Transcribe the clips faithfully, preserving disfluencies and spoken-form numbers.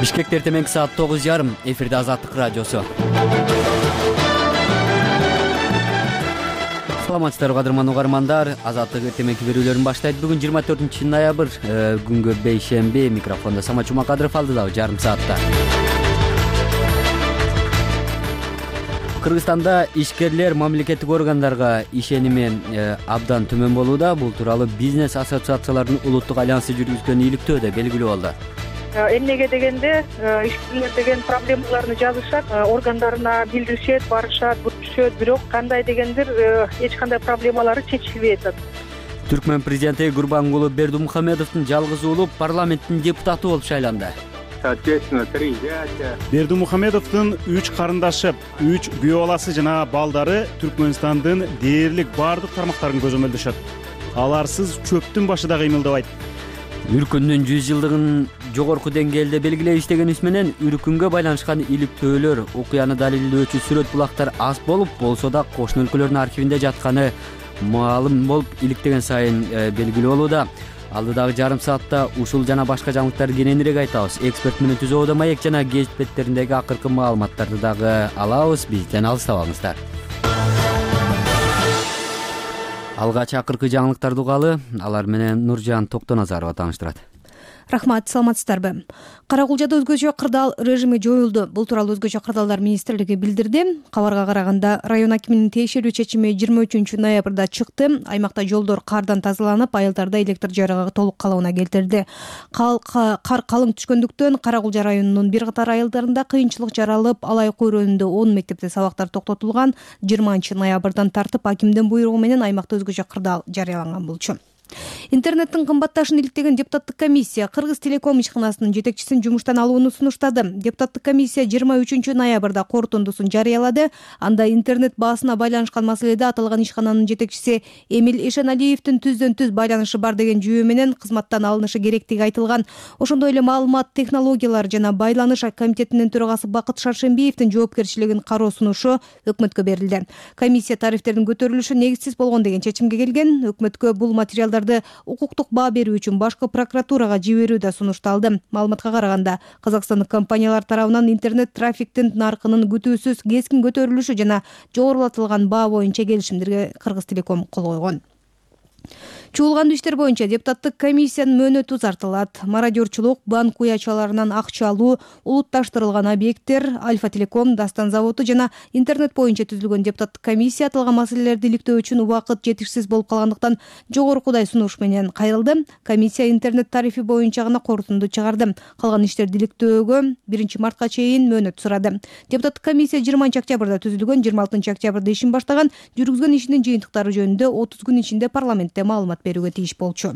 Бишкекте эртең саат тогуз жарым, эфирде Азаттык радиосу. Саламатсыздарбы кадырман угармандар, Азаттык эртеңки берүүлөрүн баштайт. Бүгүн жыйырма төртүнчү ноябрь, күнгө бейшемби. Микрофондо Самат Жумакадыров алдыдагы жарым саатта. Кыргызстанда ишкерлер мамлекеттик органдарга ишеними абдан төмөн болууда. Бул тууралуу бизнес ассоциациялардын улуттук альянсы жүргүзгөн иликтөөдө белгилүү болду. Эмнеге дегенде ишкерлер деген проблемаларны жазышат, органдарына билдиришет, барышат, бүтүшөт, бирок кандай дегендир эч кандай проблемалары чечилбей атат. Түркмөн президенти Гурбангулы Бердимухамедовдун жалгыз уулу парламенттин депутаты болуп шайланды. Соответственно, три зятя. Бердимухамедовдун үч карындашы, үч күйөө баласы жана балдары Түркмөнстандын дээрлик баардык тармактарын көзөмөлдөшөт. Аларсыз чөптүн башы да кыймылдабайт. Үркүндүн жүз жылдыгын жогорку деңгээлде белгилеп иштегенибиз менен үркүнгө байланышкан иликтөөлөр, окуяны далилдөөчү сүрөт булактар аз болуп, болсо да кошуна өлкөлөрдүн архивинде жатканы маалым болуп иликтеген сайын белгилүү болууда. Алдыдагы жарым саатта ушул жана башка жаңылыктарды кененирээк айтабыз. Эксперт менен Түзөөдө маек жана гезит беттериндеги акыркы маалыматтарды дагы алабыз. Бизден алыстабаңыздар. Алгач акыркы жаңылыктарды угалы, алар менен Нуржан Токтоназарова тааныштырат. Рахмат, саламатсыздарбы? Каракулжада өзгөчө кырдаал режими жоюлду. Бул тууралуу өзгөчө кырдаалдар министрлиги билдирди. Кабарга караганда, район акиминин тиешелүү чечими жыйырма үчүнчү ноябрда чыкты. Аймакта жолдор кардан тазаланып, айылдарда электр жарыгы толук калыбына келтирди. Кар калың түшкөндүктөн Каракулжа районунун бир катар айылдарында кыйынчылык жаралып, алай койронунда он мектепте сабактар токтотулган. жыйырманчы ноябрдан тартып акимдин буйругу менен аймакта өзгөчө кырдаал жарыяланган болчу. Интернеттин кымбатташын иликтеген депутаттык комиссия Кыргыз Телеком ишканасынын жетекчисин жумуштан алууну сунуштады. Депутаттык комиссия жыйырма үчүнчү ноябрда корутундусун жарыялады. Анда интернет баасына байланышкан маселеде аталган ишкананын жетекчиси Эмил Эшеналиевдин түздөн түз байланышы бар деген жүйө менен кызматтан алынышы керектиги айтылган. Ошондой эле маалымат технологиялары жана байланыш комитетинин төрагасы Бакыт Шаршембиевдин жоопкерчилигин кароо сунушу өкмөткө берилди. Комиссия тарифтердин көтөрүлүшү негизсиз болгон деген чечимге келген. Өкмөткө бул материалдар укуктук баа берүү үчүн башкы прокуратурага жиберүү да сунушталды. Маалыматка караганда, казакстандык компаниялар тарабынан интернет трафиктин наркынын күтүүсүз кескин көтөрүлүшү жана жогорулатылган баа боюнча келишимдерге Кыргыз Телеком кол койгон. Чуулгандуу иштер боюнча депутаттык комиссиянын мөөнөтү узартылат. Мародерчулук, банк уячаларынан акча алуу, улутташтырылган объекттер, Альфа Телеком, Дастан заводу жана интернет боюнча түзүлгөн депутаттык комиссия аталган маселелерди иликтөө үчүн убакыт жетишсиз болуп калгандыктан жогорукудай сунуш менен кайрылды. Комиссия интернет тарифи боюнча гана корутунду чыгарды. Калган иштерди иликтөөгө биринчи мартка чейин мөөнөт сурады. Депутаттык комиссия жыйырманчы октябрда түзүлгөн, жыйырма алтынчы октябрда ишин баштаган, жүргүзгөн ишинин жыйынтыктары жөнүндө отуз күн ичинде парламентте маалымат берүүгө тийиш болчу.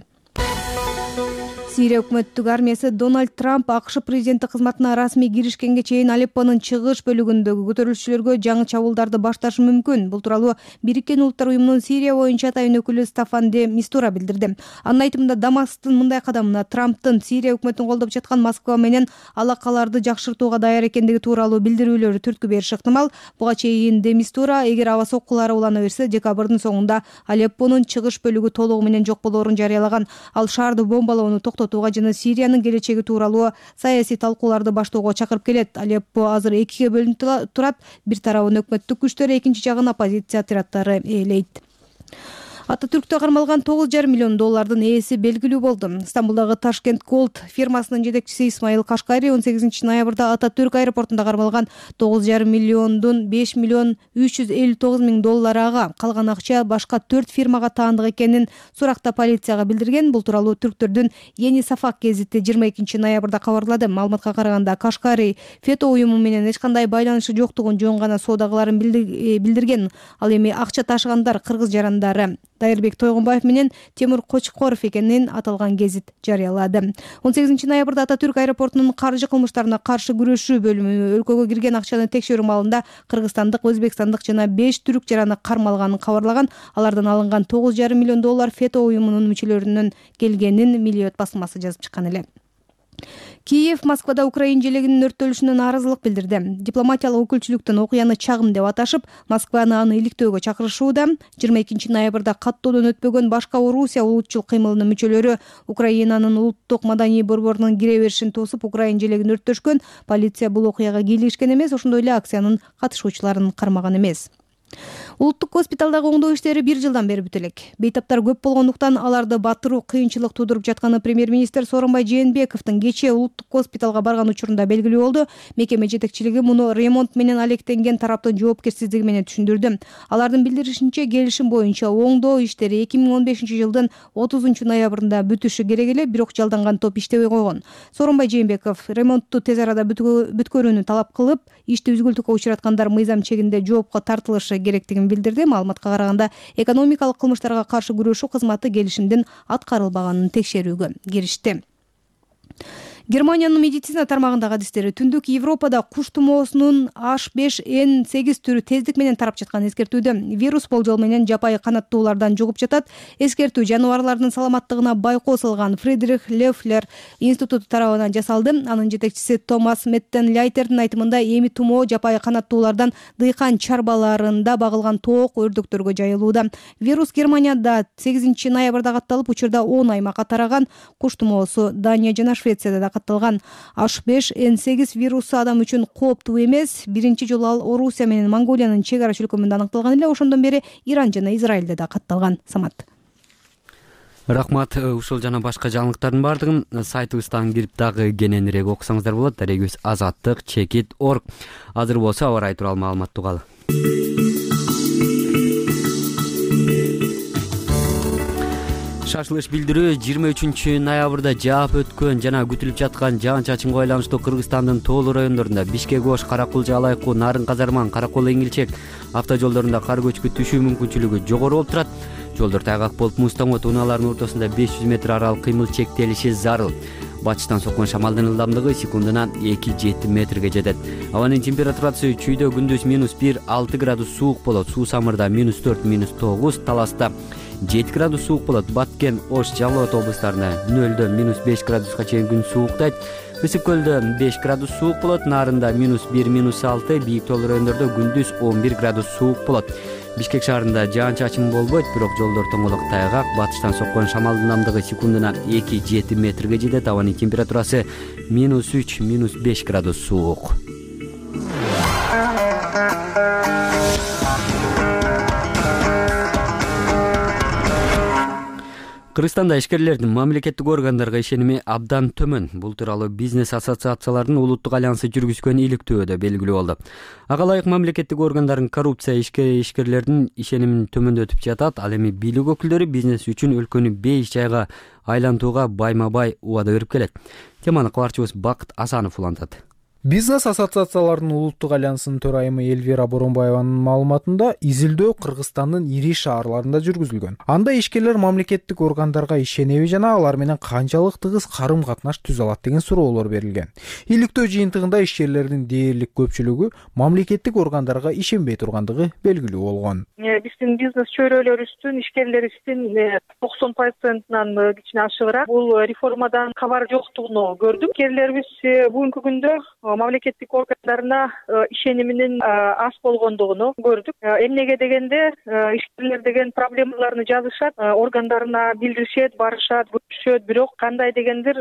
Сирия өкмөттүк армиясы Дональд Трамп АКШ президенти кызматына расмий киришкенге чейин Алеппонун чыгыш бөлүгүндөгү көтөрүлүшчүлөргө жаңы чабуулдарды башташы мүмкүн. Бул тууралуу Бириккен Улуттар уюмунун Сирия боюнча атайын өкүлү Стафан де Мистура билдирди. Анын айтымында, Дамасктын мындай кадамына Трамптын Сирия өкмөтүн колдоп жаткан Москва менен алакаларды жакшыртууга даяр экендиги тууралуу билдирүүлөрү түрткү бериши ыктымал. Буга чейин де Мистура, эгер аба соккулары улана берсе, декабрдын соңунда Алеппонун чыгыш бөлүгү толугу менен жок болоорун жарыялаган. Ал шаарды бомбалоону токтотууга жана Сириянын келечеги тууралуу саясий талкууларды баштоого чакырып келет. Алеппо азыр экиге бөлүнүп турат. Бир тарабын өкмөттүк күчтөр, экинчи жагын оппозиция отряддары ээлейт. Ататүрктө кармалган тогуз жарым миллион доллардын ээси белгилүү болду. Стамбулдагы Ташкент Голд фирмасынын жетекчиси Исмаил Кашкари он сегизинчи ноябрда Ататүрк аэропортунда кармалган тогуз жарым миллиондун беш миллион үч жүз элүү тогуз миң доллары ага, калган акча башка төрт фирмага таандык экенин суракта полицияга билдирген. Бул тууралуу түрктөрдүн Yeni Safak гезити жыйырма экинчи ноябрда кабарлады. Маалыматка караганда, Кашкари фето уюму менен эч кандай байланышы жоктугун жөн гана соодагыларын билдирген. Ал эми акча ташыгандар кыргыз жарандары Дайырбек Тойгонбаев менен Темур Кочкоров экенин аталган гезит жарыялады. он сегизинчи ноябрда Ататүрк аэропортунун каржы кылмыштарына каршы күрөшүү бөлүмү өлкөгө кирген акчаны текшерүү маалында кыргызстандык, өзбекстандык жана беш түрк жараны кармалганын кабарлаган. Алардан алынган тогуз жарым миллион доллар фето уюмунун мүчөлөрүнөн келгенин Милиет басылмасы жазып чыккан эле. Киев Москвада Украин желегинин өрттөлүшүнө нааразылык билдирди. Дипломатиялык өкүлчүлүктөн окуяны чагым деп аташып, Москваны аны иликтөөгө чакырышууда. жыйырма экинчи ноябрда каттоодон өтпөгөн башка Орусия улутчул кыймылынын мүчөлөрү Украинанын улуттук маданий борборунун кире беришин тосуп, Украин желегин өрттөшкөн. Полиция бул окуяга кийлигишкен эмес, ошондой эле акциянын катышуучуларын кармаган эмес. Улуттук госпиталдагы оңдоо иштери бир жылдан бери бүтө элек. Бейтаптар көп болгондуктан аларды батыруу кыйынчылык туудуруп жатканы премьер-министр Сооронбай Жээнбековдун кечээ улуттук госпиталга барган учурунда белгилүү болду. Мекеме жетекчилиги муну ремонт менен алектенген тараптын жоопкерсиздиги менен түшүндүрдү. Алардын билдиришинче, келишим боюнча оңдоо иштери эки миң он бешинчи жылдын отузунчу ноябрында бүтүшү керек эле, бирок жалданган топ иштебей койгон. Сооронбай Жээнбеков ремонтту тез арада бүткөрүүнү талап кылып, ишти үзгүлтүккө учураткандар мыйзам чегинде жоопко тартылышы керектигин билдирди. Маалыматка караганда, экономикалык кылмыштарга каршы күрөшүү кызматы келишимдин аткарылбаганын текшерүүгө киришти. Германиянын медицина тармагындагы адистери Түндүк Европада куш тумоосунун H беш N сегиз түрү тездик менен тарап жатканын эскертүүдө. Вирус болжол менен жапайы канаттуулардан жугуп жатат. Эскертүү жаныбарлардын саламаттыгына байкоо салган Фридрих Лефлер институту тарабынан жасалды. Анын жетекчиси Томас Меттен-Ляйтердин айтымында, эми тумоо жапайы канаттуулардан дыйкан чарбаларында багылган тоок өрдөктөргө жайылууда. Вирус Германияда сегизинчи ноябрда катталып, учурда он аймакка тараган. Куш тумоосу Дания жана Швецияда да катталган. H беш N сегиз вирусу адам үчүн кооптуу эмес. Биринчи жолу ал Орусия менен Монголиянын чек ара чөлкөмүндө аныкталган эле. Ошондон бери Иран жана Израилде да катталган. Самат. Рахмат. Ушул жана башка жаңылыктардын баардыгын сайтыбыздан кирип дагы кененирээк окусаңыздар болот. Дарегибиз азаттык чекит точка орг. Азыр болсо аба ырайы тууралуу маалымат угалы. Шашылыш билдирүү жыйырма үчүнчү ноябрда жаап өткөн жана күтүлүп жаткан жаан-чачынга байланыштуу Кыргызстандын тоолуу райондорунда Бишкек Ош, Каракулча, Алайкуу, Нарын Казарман, Каракол, Эңилчек автожолдорунда кар көчкү түшүү мүмкүнчүлүгү жогору болуп турат. Жолдор тайгак болуп, муз тоңот унааларынын ортосунда беш жүз метр аралык кыймыл чектелиши зарыл. Батыштан соккон шамалдын ылдамдыгы секундуна эки жети метрге жетет. Абанын температурасы чүйдө күндүз минус бир алты градус суук болот. Суу-Самырда минус төрт минус тогуз, Таласта жети градус суук болот. Баткен, Ош, Жалал Абад облустарында нөлдөн минус беш градуска чейин күн сууктайт. Ысык көлдө беш градус суук болот. Нарында минус бир минус алты, бийик тоолуу райондордо күндүз он бир градус суук болот. Бишкек шаарында жаан-чачын болбойт, бирок жолдор тоңолок тайгак. Батыштан соккон шамалдын ылдамдыгы секундуна эки жети метрге жетет. Абанын температурасы минус үч минус беш градус суук. Кыргызстанда ишкерлердин мамлекеттик органдарга ишеними абдан төмөн. Бул тууралуу бизнес ассоциацияларынын улуттук альянсы жүргүзгөн иликтөөдө белгилүү болду. Ага ылайык мамлекеттик органдардын коррупция ишкерлердин ишенимин төмөндөтүп жатат. Ал эми бийлик өкүлдөрү бизнес үчүн өлкөнү бейиш жайга айлантууга байма-бай убада берип келет. Теманы кабарчыбыз Бакыт Асанов улантат. Бизнес ассоциацияларынын улуттук альянсынын төрайымы Элвира Боронбаеванын маалыматында изилдөө Кыргызстандын ири шаарларында жүргүзүлгөн. Анда ишкерлер мамлекеттик органдарга ишенеби жана алар менен канчалык тыгыз карым-катнаш түзө алат деген суроолор берилген. Иликтөө жыйынтыгында ишкерлердин дээрлик көпчүлүгү мамлекеттик органдарга ишенбей тургандыгы белгилүү болгон. Биздин бизнес чөйрөлөрүбүздүн, ишкерлерибиздин токсон процентинен кичине ашыгыраак бул реформадан кабар жоктугун көрдүм. Ишкерлерибиз бүгүнкү күндө мамлекеттик органдарына ишениминин аз болгондугуну көрдүк. Эмнеге дегенде ишкерлер деген проблемаларını жазышат, органдарына билдиришет, барышат, көрүшөт, бирок кандай дегендир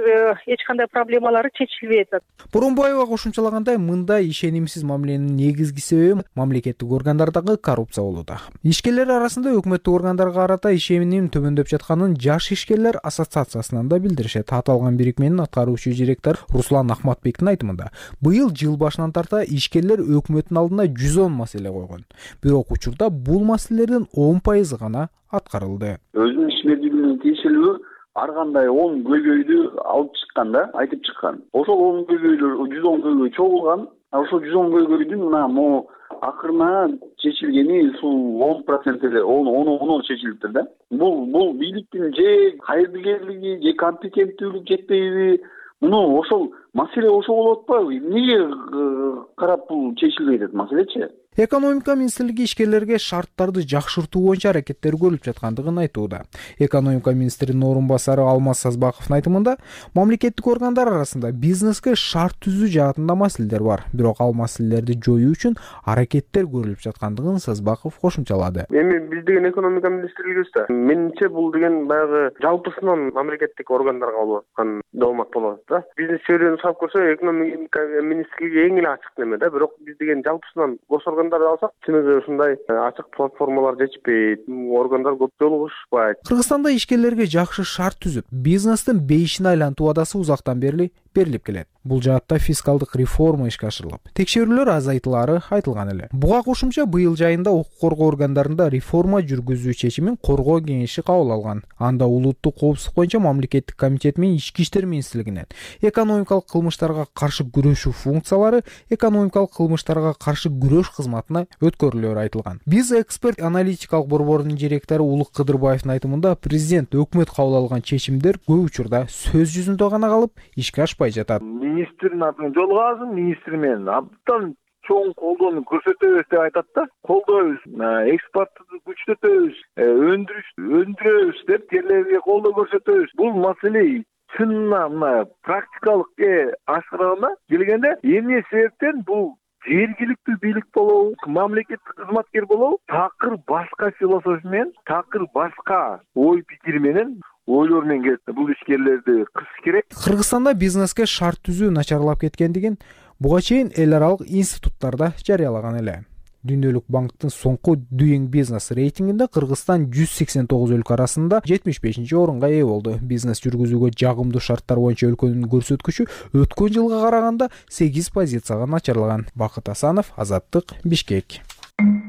эч кандай проблемалары чечилбей атат. Боронбаева кошумчалагандай, мындай ишенимсиз мамиленин негизги себеби мамлекеттик органдардагы коррупция болууда. Ишкерлер арасында өкмөттүк органдарга карата ишеним төмөндөп жатканын Жаш ишкерлер ассоциациясынан да билдиришет. Аталган бирикменин аткаруучу директору Руслан Ахматбектин айтымында, быйыл жыл башынан тарта ишкерлер өкмөттүн алдына жүз он маселе койгон. Бирок учурда бул маселелердин он пайызы гана аткарылды. Өзүнүн ишмердүүлүгүнө тиешелүү ар кандай он көйгөйдү алып чыккан да, айтып чыккан. Ошол он көйгөйлөр жүз он көйгөй чогулган. Ошол жүз он көйгөйдүн мына могу акырына чечилгени ушул он процент эле, он он чечилиптир да. Бул бул бийликтин же кайрылгерлиги, же компетенттүүлүк жетпейби? Муну ошол маселе ошол болуп атпайбы? Эмнеге карап бул чечилбей атат маселечи? Экономика министрлиги ишкерлерге шарттарды жакшыртуу боюнча аракеттер көрүлүп жаткандыгын айтууда. Экономика министринин орун басары Алмаз Сазбаковдун айтымында, мамлекеттик органдар арасында бизнеске шарт түзүү жаатында маселелер бар. Бирок ал маселелерди жоюу үчүн аракеттер көрүлүп жаткандыгын Сазбаков кошумчалады. Эми биз деген экономика министрлигибиз да. Менимче бул деген баягы жалпысынан мамлекеттик органдарга болуп аткан долмак болот да. Бизнес чөйрөнү салып көрсө, экономика министрлиги эң эле ачык неме да. Бирок биз деген жалпысынан госоргандарды алсак, чыныгы ушундай ачык платформалар жетишпейт, органдар көп жолугушпайт. Кыргызстанда ишкерлерге жакшы шарт түзүп, бизнестин бейишин айлантуу убадасы узактан бери берилип келет. Бул жаатта фискалдык реформа ишке ашырылып, текшерүүлөр азайтылары айтылган эле. Буга кошумча быйыл жайында укук коргоо органдарында реформа жүргүзүү чечимин коргоо кеңеши кабыл алган. Анда улуттук коопсуздук боюнча мамлекеттик комитет менен ички иштер министрлигинен экономикалык кылмыштарга каршы күрөшүү функциялары экономикалык кылмыштарга каршы күрөш кызматына өткөрүлөөрү айтылган. Биз эксперт аналитикалык борборунун директору Улук Кыдырбаевдин айтымында, президент өкмөт кабыл алган чечимдер көп учурда сөз жүзүндө гана калып, ишке ашпай жатат. Министрдин атын жолугабыз, министр менен абдан чоң колдоону көрсөтөбүз деп айтат да. Колдойбуз, экспортты күчтөтөбүз, өндүрүш өндүрөбүз деп жерлерге колдоо көрсөтөбүз. Бул маселе чынына мына практикалыкка ашырганда келгенде эмне себептен бул жергиликтүү бийлик болобу, мамлекеттик кызматкер болобу, такыр башка философия менен, такыр башка ой пикир менен ойлор менен келет. Бул ишкерлерди кысыш керек. Кыргызстанда бизнеске шарт түзүү начарлап кеткендигин буга чейин эл аралык институттарда жарыялаган эле. Дүйнөлүк банктын соңку Doing Business рейтингинде Кыргызстан жүз сексен тогуз өлкө арасында жетимиш бешинчи орунга ээ болду. Бизнес жүргүзүүгө жагымдуу шарттар боюнча өлкөнүн көрсөткүчү өткөн жылга караганда сегиз позицияга начарлаган. Бакыт Асанов, Азаттык, Бишкек.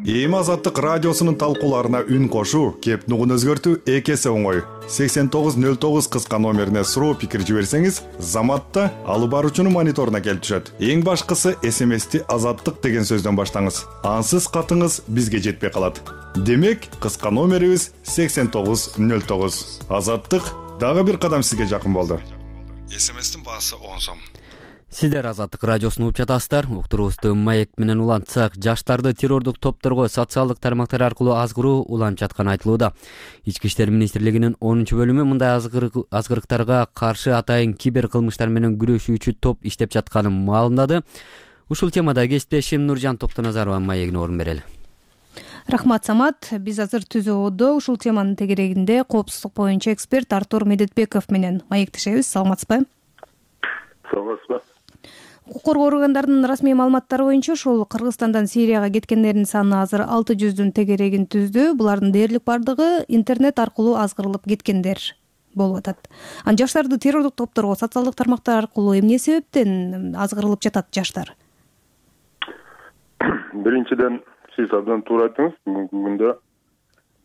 Эми Азаттык радиосунун талкууларына үн кошуу, кеп нугун өзгөртүү эки эсе оңой. сексен тогуз нөл тогуз кыска номерине суроо пикир жиберсеңиз, Заматта алып баруучунун мониторуна келип түшөт. Эң башкысы эс эм эсти Азаттык деген сөздөн баштаңыз. Ансыз катыңыз бизге жетпей калат. Демек, кыска номерибиз сексен тогуз нөл тогуз. Азаттык дагы бир кадам сизге жакын болду. эс эм эстин баасы он сом. Сиздер Азаттык радиосун угуп жатасыздар. Уктуруубузду маек менен улантсак, жаштарды террордук топторго социалдык тармактар аркылуу азгыруу уланып жатканы айтылууда. Ички иштер министрлигинин онунчу бөлүмү мындай азгырыктарга каршы атайын кибер кылмыштар менен күрөшүүчү топ иштеп жатканын маалымдады. Ушул темада кесиптешим Нуржан Токтоназарова маегине орун берели. Рахмат, Самат. Биз азыр түзөөдө ушул теманын тегерегинде коопсуздук боюнча эксперт Артур Медетбеков менен маектешебиз. Саламатсызбы? Саламатсызбы? Укук коргоо органдарынын расмий маалыматтары боюнча ушул Кыргызстандан Сирияга кеткендердин саны азыр алты жүздүн тегерегин түздү. Булардын дээрлик бардыгы интернет аркылуу азгырылып кеткендер болуп атат. Ан жаштарды террордук топторго социалдык тармактар аркылуу эмне себептен азгырылып жатат жаштар? Биринчиден, сиз абдан туура айттыңыз. Бүгүнкү күндө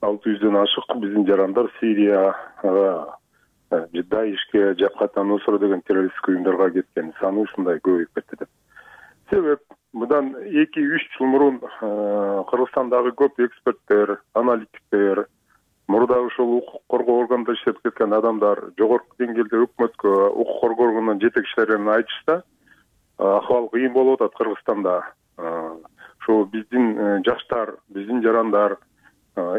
алты жүздөн ашык биздин жарандар Сирияга, Даишке, Жапката Нусра деген террористтик уюмдарга кеткен саны ушундай көбөйүп кетти деп. Себеп мындан эки үч жыл мурун Кыргызстандагы көп эксперттер, аналитиктер, мурда ушул укук коргоо органында иштеп кеткен адамдар жогорку деңгээлде өкмөткө, укук коргоо органынын жетекчилерине айтышта, акыбал кыйын болуп атат Кыргызстанда. Ошо биздин жаштар, биздин жарандар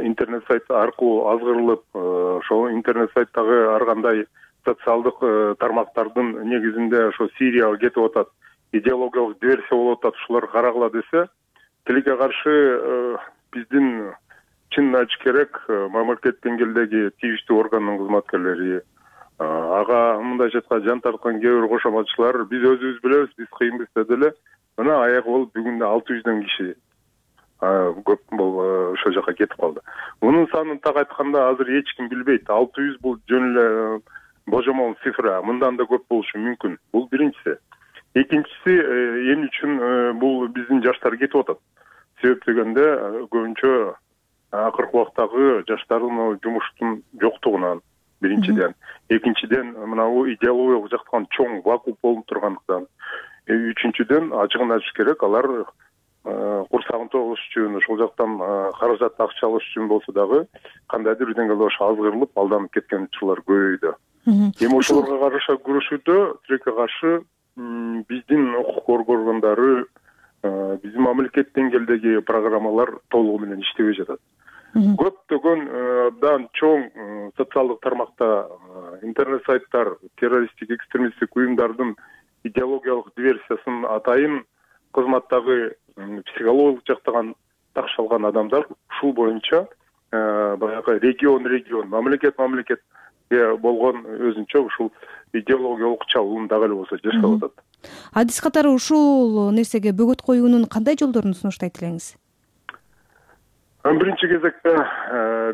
интернет сайт аркылуу азгырылып, ошол интернет сайттагы ар кандай социалдык тармактардын негизинде ошо Сирияга кетип атат, идеологиялык диверсия болуп атат, ушулар карагыла десе, тилге каршы биздин чын айтыш керек, мамлекет деңгээлдеги тийиштүү органдын кызматкерлери, ага мындай жатка жан тарткан кээ бир кошоматчылар, биз өзүбүз билебиз, биз кыйынбыз деди эле, мына аягы болуп бүгүн алты жүздөн киши көп бул ошол жака кетип калды. Мунун санын так айтканда азыр эч ким билбейт. алты жүз бул жөн эле божомол цифра, мындан да көп болушу мүмкүн. Бул биринчиси. Экинчиси, эмне үчүн бул биздин жаштар кетип атат? Себеп дегенде көбүнчө акыркы убактагы жаштардын жумуштун жоктугунан биринчиден, экинчиден мына бул идеологиялык жактан чоң вакуум болуп тургандыктан, үчүнчүдөн ачыгын айтыш керек, алар курсагын тогуш үчүн, ошол жактан каражат акча алыш үчүн болсо дагы кандайдыр бир деңгээлде ошо азгырылып, алданып кеткен учурлар көбөйдү. Эми ошолорго каршы күрөшүүдө тилекке каршы биздин укук коргоо органдары биздин мамлекет деңгээлдеги программалар толугу менен иштебей жатат. Көптөгөн абдан чоң социалдык тармакта интернет сайттар террористтик экстремисттик уюмдардын идеологиялык диверсиясын атайын кызматтагы психологиялык жактан такшалган адамдар ушул боюнча баягы регион регион мамлекет мамлекетке болгон өзүнчө ушул идеологиялык чабуун дагы эле болсо жасап атат. Адис катары ушул нерсеге бөгөт коюунун кандай жолдорун сунуштайт элеңиз? Биринчи кезекте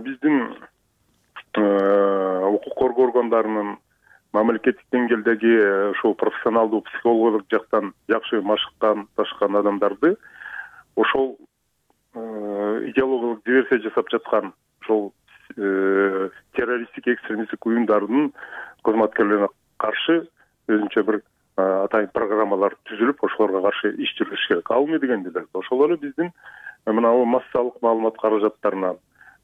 биздин укук коргоо органдарынын мамлекеттик деңгээлдеги ушул профессионалдуу психологиялык жактан жакшы машыккан ташкан адамдарды ошол идеологиялык диверсия жасап жаткан ошол террористтик экстремисттик уюмдардын кызматкерлерине каршы өзүнчө бир атайын программалар түзүлүп ошолорго каршы иш жүргүзүш керек. Ал эмне дегенде ошол эле биздин мына массалык маалымат каражаттарынан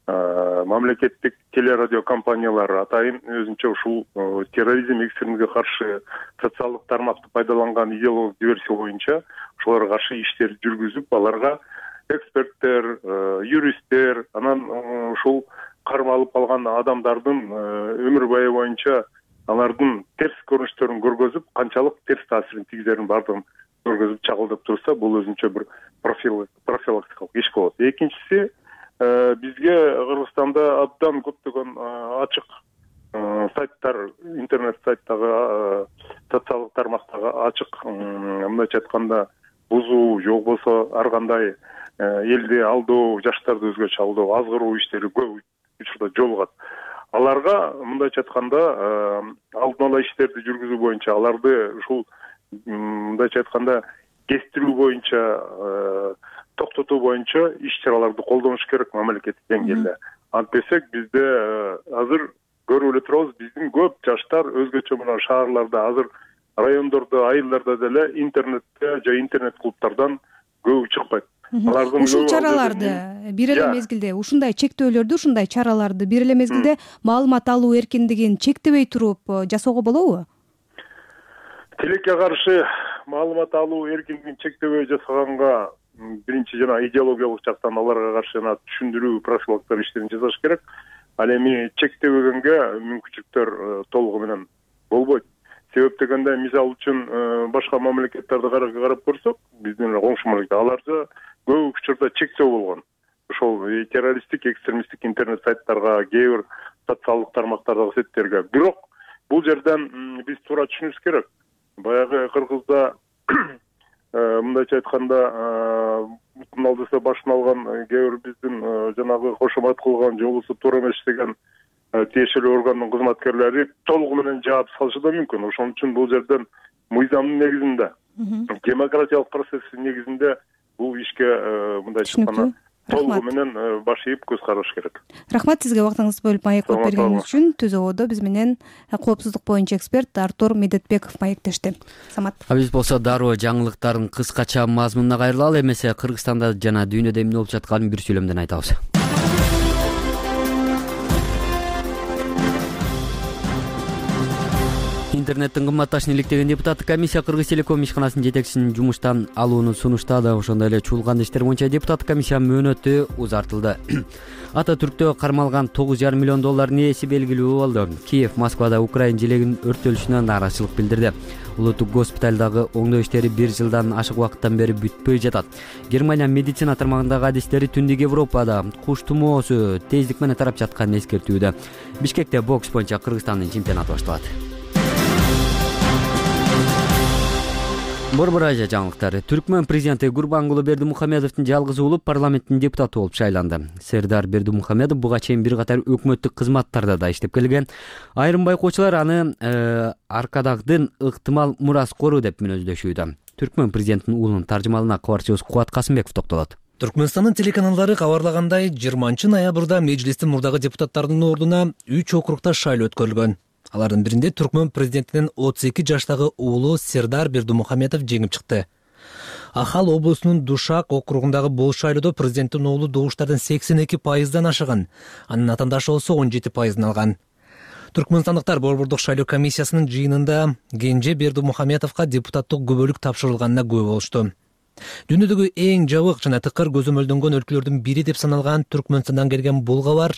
мамлекеттик телерадио компаниялар атайын өзүнчө ушул терроризм экстремизмге каршы социалдык тармакты пайдаланган идеологиялык диверсия боюнча ошолорго каршы иштер жүргүзүп аларга эксперттер, юристтер, анан ушул кармалып калган адамдардын өмүр баю боюнча алардын терс көрүнүштөрүн көргөзүп, канчалык терс таасирин тийгизерин бардыгын көргөзүп чагылдырып турса, бул өзүнчө бир профилактикалык иш болот. Экинчиси, бизге Кыргызстанда абдан көптөгөн ачык сайттар, интернет сайттагы, социалдык тармактагы ачык, мындайча айтканда, бузуу, же болбосо ар кандай элди алдоо, жаштарды өзгөчө алдоо, азгыруу иштери көп учурда жолугат. Аларга мындайча айтканда алдын ала иштерди жүргүзүү боюнча, аларды ушул мындайча айтканда кестирүү боюнча, токтотуу боюнча иш-чараларды колдонуш керек мамлекеттик деңгээлде. Антпесек бизде азыр көрүп эле турабыз, биздин көп жаштар өзгөчө мына шаарларда, азыр райондордо, айылдарда деле интернетте же интернет клубтардан көбү чыкпайт. Ушул чараларды бир эле мезгилде, ушундай чектөөлөрдү, ушундай чараларды бир эле мезгилде маалымат алуу эркиндигин чектебей туруп жасоого болобу? Тилекке каршы маалымат алуу эркиндигин чектебей жасаганга биринчи жана идеологиялык жактан аларга каршы жана түшүндүрүү профилактика иштерин жасаш керек. Ал эми чектебегенге мүмкүнчүлүктөр толугу менен болбойт. Себеп дегенде, мисал үчүн башка мамлекеттерди карап көрсөк, биздин коңшу мамлекет, аларда көп учурда чектөө болгон. Ошол террористтик, экстремисттик интернет сайттарга, кээ бир социалдык тармактардагы сеттерге. Бирок бул жерден биз туура түшүнүшүбүз керек. Баягы Кыргызда мындайча айтканда мутун алдыса башын алган кээ бир биздин жанагы кошомат кылган же болбосо туура эмес деген тиешелүү органдын кызматкерлери толугу менен жаап салышы да мүмкүн. Ошон үчүн бул жерден мыйзамдын негизинде, демократиялык процесстин негизинде бул ишке мындайча айтканда толугу менен баш ийип көз караш керек. Рахмат сизге убактыңызды бөлүп маектеп бергениңиз үчүн. Түз абада биз менен коопсуздук боюнча эксперт Артур Медетбеков маектешти. Самат. А биз болсо дароо жаңылыктардын кыскача мазмунуна кайрылалы, эмесе Кыргызстанда жана дүйнөдө эмне болуп жатканын бир сүйлөмдөн айтабыз. Интернеттин кымбатташын иликтеген депутаттык комиссия Кыргыз Телеком ишканасынын жетекчисин жумуштан алууну сунуштады. Ошондой эле чуулган иштер боюнча депутаттык комиссия мөөнөтү узартылды. Ата Түрктө кармалган тогуз жарым миллион доллардын ээси белгилүү болду. Киев Москвада Украина желегинин өрттөлүшүнө нааразычылык билдирди. Улуттук госпиталдагы оңдоо иштери бир жылдан ашык убакыттан бери бүтпөй жатат. Германия медицина тармагындагы адистери Түндүк Европада куш тумоосу тездик менен тарап жатканын эскертүүдө. Бишкекте бокс боюнча Кыргызстандын чемпионаты башталат. Борбор Азия жаңылыктары. Түркмөн президенти Гурбангулы Бердимухамедовдун жалгыз уулу парламенттин депутаты болуп шайланды. Сердар Бердимухамедов буга чейин бир катар өкмөттүк кызматтарда да иштеп келген. Айрым байкоочулар аны аркадагдын ыктымал мураскору деп мүнөздөшүүдө. Түркмөн президентинин уулунун таржымалына кабарчыбыз Кубат Касымбеков токтолот. Түркмөнстандын телеканалдары кабарлагандай, жыйырманчы ноябрда межлистин мурдагы депутаттарынын ордуна үч округда шайлоо өткөрүлгөн. Алардын биринде Түркмөн президентинин отуз эки жаштагы уулу Сердар Бердимухамедов жеңип чыкты. Ахал облусунун Душак округундагы бул шайлоодо президенттин уулу добуштардын сексен эки пайыздан ашыган, анын атаандашы болсо он жети пайызын алган. Түркмөнстандыктар борбордук шайлоо комиссиясынын жыйынында Кенже Бердимухамедовго депутаттык күбөлүк тапшырылганына күбө болушту. Дүйнөдөгү эң жабык жана тыкыр көзөмөлдөнгөн өлкөлөрдүн бири деп саналган Түркмөнстандан келген бул кабар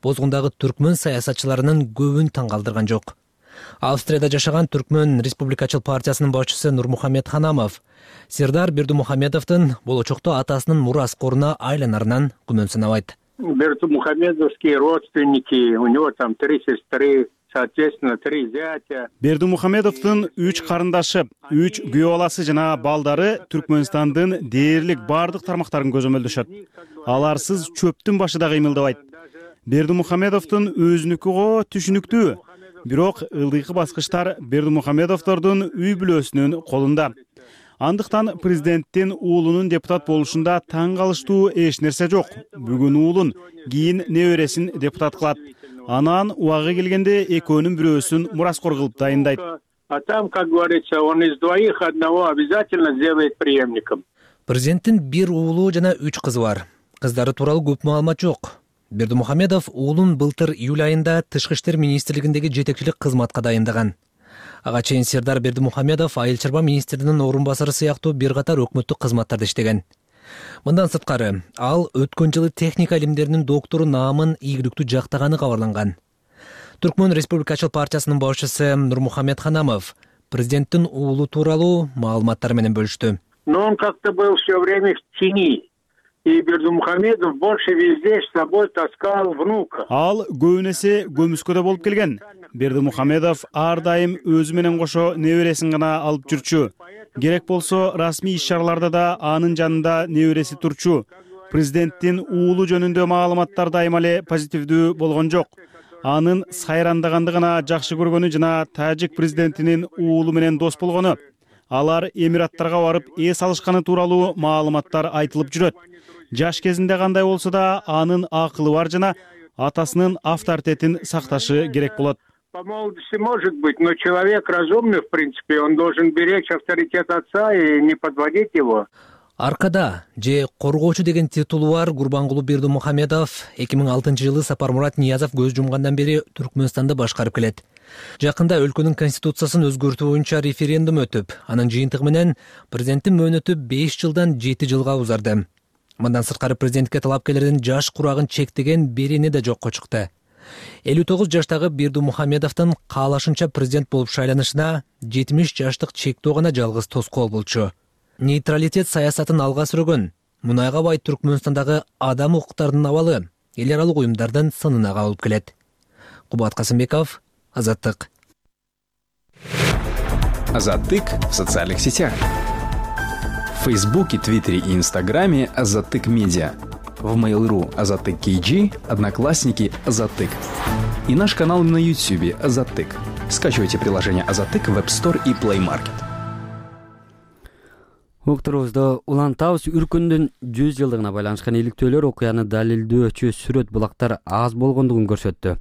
Бозгундагы түркмөн саясатчыларынын көбүн таң калтырган жок. Австрияда жашаган Түркмөн Республикачыл партиясынын башчысы Нурмухамед Ханамов Сердар Бердимухамедовдун болочокто атасынын мураскоруна айланарынан күмөн санабайт. Бердимухамедовские родственники, у него там три сестры, соответственно, три зятя. Бердимухамедовдун үч карындашы, үч күйөө баласы жана балдары Түркмөнстандын дээрлик бардык тармактарын көзөмөлдөшөт. Аларсыз чөптүн башы да кыймылдабайт. Бердимухамедовдун өзүнүкү го түшүнүктүү. Бирок ылдыйкы баскычтар Бердимухамедовдордун үй бүлөсүнүн колунда. Андыктан президенттин уулунун депутат болушунда таң калыштуу эч нерсе жок. Бүгүн уулун, кийин небересин депутат кылат. Анан убагы келгенде экөөнүн бирөөсүн мураскор кылып дайындайт. А там, как говорится, он из двоих одного обязательно сделает преемником. Президенттин бир уулу жана үч кызы бар. Кыздары тууралуу көп маалымат жок. Бердимухамедов уулун былтыр июль айында Тышкы иштер министрлигиндеги жетекчилик кызматка дайындаган. Ага чейин Сердар Бердимухамедов айыл чарба министринин орун басары сыяктуу бир катар өкмөттүк кызматтарда иштеген. Мындан сырткары, ал өткөн жылы техника илимдеринин доктору наамын ийгиликтүү жактаганы кабарланган. Түркмөн Республикачыл партиясынын башчысы Нурмухамед Ханамов президенттин уулу тууралуу маалыматтар менен бөлүштү. Но он как-то был все время в тени. И Бердимухамедов больше везде с собой таскал внука. Ал көбүн эсе көмүскөдө болуп келген. Бердимухамедов ар дайым өзү менен кошо небересин гана алып жүрчү. Керек болсо расмий иш-чараларда да анын жанында небереси турчу. Президенттин уулу жөнүндө маалыматтар дайыма эле позитивдүү болгон жок. Анын сайрандагандыгына жакшы көргөнү жана тажик президентинин уулу менен дос болгону. Алар Эмираттарга барып эс алышканы тууралуу маалыматтар айтылып жүрөт. Жаш кезинде кандай болсо да анын акылы бар жана атасынын авторитетин сакташы керек болот. По молодости может быть, но человек разумный, в принципе, он должен беречь авторитет отца и не подводить его. Аркада же коргоочу деген титулу бар Гурбангулу Бердимухамедов эки миң алтынчы жылы Сапармурат Ниязов көз жумгандан бери Түркмөнстанда башкарып келет. Жакында өлкөнүн конституциясын өзгөртүү боюнча референдум өтүп, анын жыйынтыгы менен президенттин мөөнөтү беш жылдан жети жылга узарды. Мындан сырткары президентке талапкерлердин жаш курагын чектеген берени да жокко чыкты. элүү тогуз жаштагы Бердимухамедовдун каалашынча президент болуп шайланышына жетимиш жаштык чектөө гана жалгыз тоскоол болчу. Нейтралитет саясатын алга сүргөн, мунайга бай Түркмөнстандагы адам укуктарынын абалы эл аралык уюмдардын сынына кабылып келет. Кубат Касымбеков, Азаттык. Азаттык в социальных сетях. В Фейсбуке, Твиттере и Инстаграме Азаттык Медиа. В Mail.ru Азаттык кей джи, Одноклассники Азаттык. И наш канал на Ютубе Азаттык. Скачивайте приложение Азаттык в App Store и Play Market. Уктурубузда Улан Таус үркүндүн жүз жылдыгына байланышкан иликтөөлөр окуяны далилдөөчү сүрөт булактар аз болгондугун көрсөттү.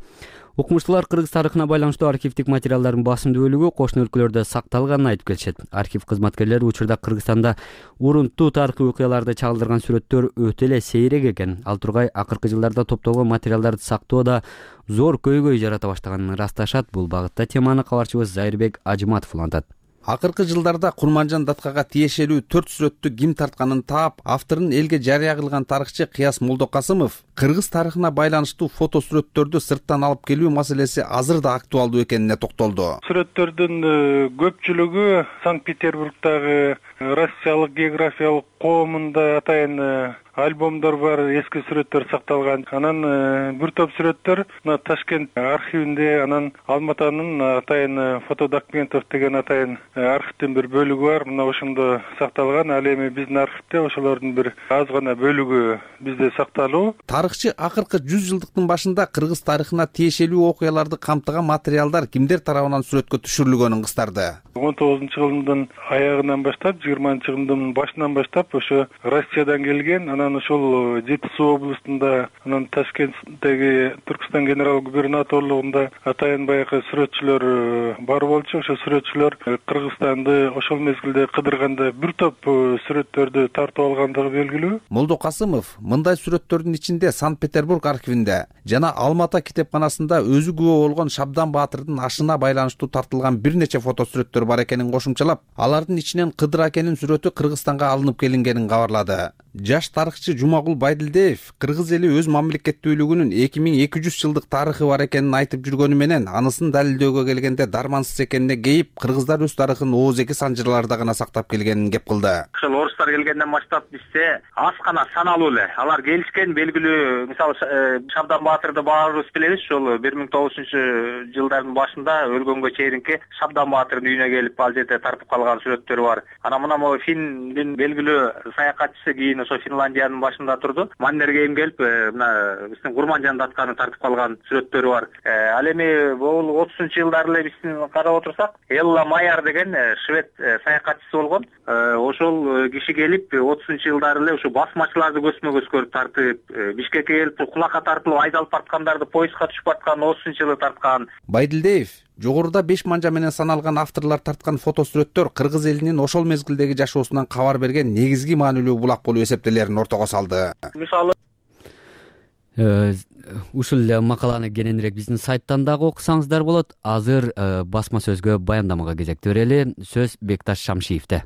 Окумуштуулар Кыргыз тарыхына байланыштуу архивдик материалдардын басымдуу бөлүгү кошуна өлкөлөрдө сакталганын айтып келишет. Архив кызматкерлери учурда Кыргызстанда урунттуу тарыхый окуяларды чагылдырган сүрөттөр өтө эле сейрек экен. Ал тургай акыркы жылдарда топтолгон материалдарды сактоодо зор көйгөй жарата баштаганын ырасташат. Бул багытта теманы кабарчыбыз Зайырбек Ажыматов улантат. Акыркы жылдарда Курманжан Даткага тиешелүү төрт сүрөттү ким тартканын таап, авторун элге жарыя кылган тарыхчы Кыяс Молдокасымов Кыргыз тарыхына байланыштуу фото сүрөттөрдү сырттан алып келүү маселеси азыр да актуалдуу экенине токтолду. Сүрөттөрдүн көпчүлүгү Санкт-Петербургдагы Россиялык географиялык коомунда атайын альбомдор бар, эски сүрөттөр сакталган. Анан бир топ сүрөттөр мына Ташкент архивинде, анан Алматанын атайын фотодокументов деген атайын архивдин бир бөлүгү бар. Мына ошондо сакталган. Ал эми биздин архивде ошолордун бир аз гана бөлүгү бизде сакталуу. Тарыхчы акыркы жүз жылдыктын башында Кыргыз тарыхына тиешелүү окуяларды камтыган материалдар кимдер тарабынан сүрөткө түшүрүлгөнүн кыстарды. он тогузунчу жылдын аягынан баштап, жыйырманчы жылдын башынан баштап ошо Россиядан келген, анан ошол Жети Суу областында, анан Ташкенттеги Түркстан генерал губернаторлугунда атайын баягы сүрөтчүлөр бар болчу. Ошо сүрөтчүлөр Кыргызстанды ошол мезгилде кыдырганда бир топ сүрөттөрдү тартып алгандыгы белгилүү. Молдокасымов мындай сүрөттөрдүн ичинде Санкт-Петербург архивинде жана Алмата китепканасында өзү күбө болгон Шабдан Баатырдын ашына байланыштуу тартылган бир нече фото сүрөттөр бар экенин кошумчалап, алардын ичинен Кыдыр акенин сүрөтү Кыргызстанга алынып келингенин кабарлады. Жаш тарыхчы Жумагул Байдилдиев кыргыз эли өз мамлекеттүүлүгүнүн эки миң эки жүз жылдык тарыхы бар экенин айтып жүргөнү менен анысын далилдөөгө келгенде дармансыз экенине кейип, кыргыздар өз тарыхын ооз-эки санжырларда гана сактап келгенин кеп кылды. Ошол орустар келгенден баштап бизде аз гана саналуу эле алар келишкен, белгилүү, мисалы Шабдан Баатырды баарыбыз билебиз, ошол бир миң тогуз жүзүнчү жылдардын башында өлгөнгө чейинки Шабдан Баатырдын үйүнө келип ал жерде тартып калган сүрөттөрү бар. Анан мына могу Финдин белгилүү саякатчысы кийин ошо Финляндиянын башында турду. Маннергейм келип, мына биздин Курманжан датканы тартып калган сүрөттөрү бар. Ал эми бул отузунчу жылдары эле биздин карап отурсак, Элла Майяр деген швед саякатчысы болгон. Ошол киши келип отузунчу жылдары эле ушу басмачыларды көзмө-көз көрүп тартып, Бишкекке келип кулакка тартылып айдалып барткандарды поездга түшүп барткан отузунчу жылы тарткан. Байдилдиев жогоруда беш манжа менен саналган авторлор тарткан фото сүрөттөр кыргыз элинин ошол мезгилдеги жашоосунан кабар берген негизги маанилүү булак болуп эсептелерин ортого салды. Мисалы ушул эле макаланы кененирээк биздин сайттан дагы окусаңыздар болот. Азыр басма сөзгө баяндамага кезекти берели. Сөз Бекташ Шамшиевде.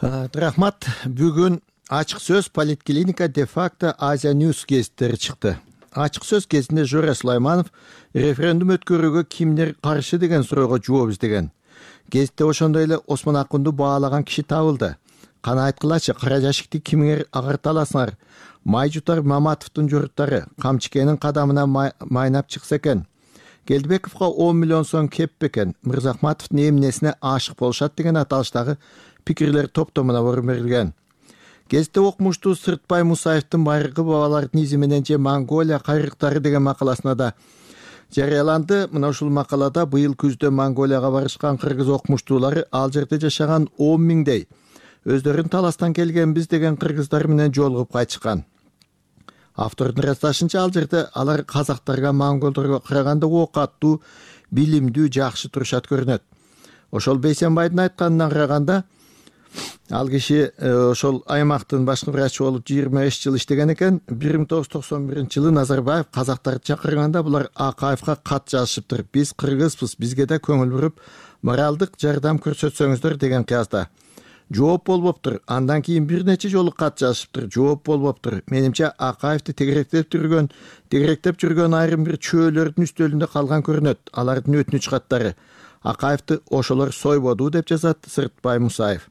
Рахмат. Бүгүн ачык сөз Политклиника де-факто Азия Ньюс гезиттери чыкты. Ачык сөз кезинде Жора Сулайманов референдум өткөрүүгө кимдер каршы деген суроого жооп издеген. Гезитте ошондой эле Осмон Акунду баалаган киши табылды. Кана айткылачы, кара жашикти кимиңер агарталасыңар? Май жутар Маматовдун журуттары Камчыкенин кадамына майнап чыкса экен. Келдибековго он миллион сом кеп бекен. Мырзахматовдун эмнесине ашык болушат деген аталыштагы пикирлер топтомуна орун берилген. Гезитте окумуштуу Сыртбай Мусаевдин Байыркы бабалардын изи менен же Монголия кайрыктары деген макаласына да жарыяланды. Мына ушул макалада быйыл күздө Монголияга барышкан кыргыз окумуштуулары ал жерде жашаган он миңдей өздөрүн таластан келгенбиз деген кыргыздар менен жолугуп кайтышкан. Автордун ырасташынча ал жерде алар казактарга, монголдорго караганда ок аттуу, билимдүү, жакшы турушат көрүнөт. Ошол Бейсенбайдын айтканына караганда ал киши ошол аймактын башкы врачы болуп жыйырма беш жыл иштеген экен. бир миң тогуз жүз токсон биринчи жылы Назарбаев казактарды чакырганда булар Акаевга кат жазышыптыр. Биз кыргызбыз, бизге да көңүл буруп, моралдык жардам көрсөтсөңүздөр деген кыязда. Жооп болбоптур. Андан кийин бир нече жолу кат жазышыптыр. Жооп болбоптур. Менимче Акаевди тегеректеп жүргөн, тегеректеп жүргөн айрым бир чөөлөрдүн үстөлүндө калган көрүнөт. Алардын өтүнүч каттары. Акаевди ошолор сойбоду деп жазат Сыртбай Мусаев.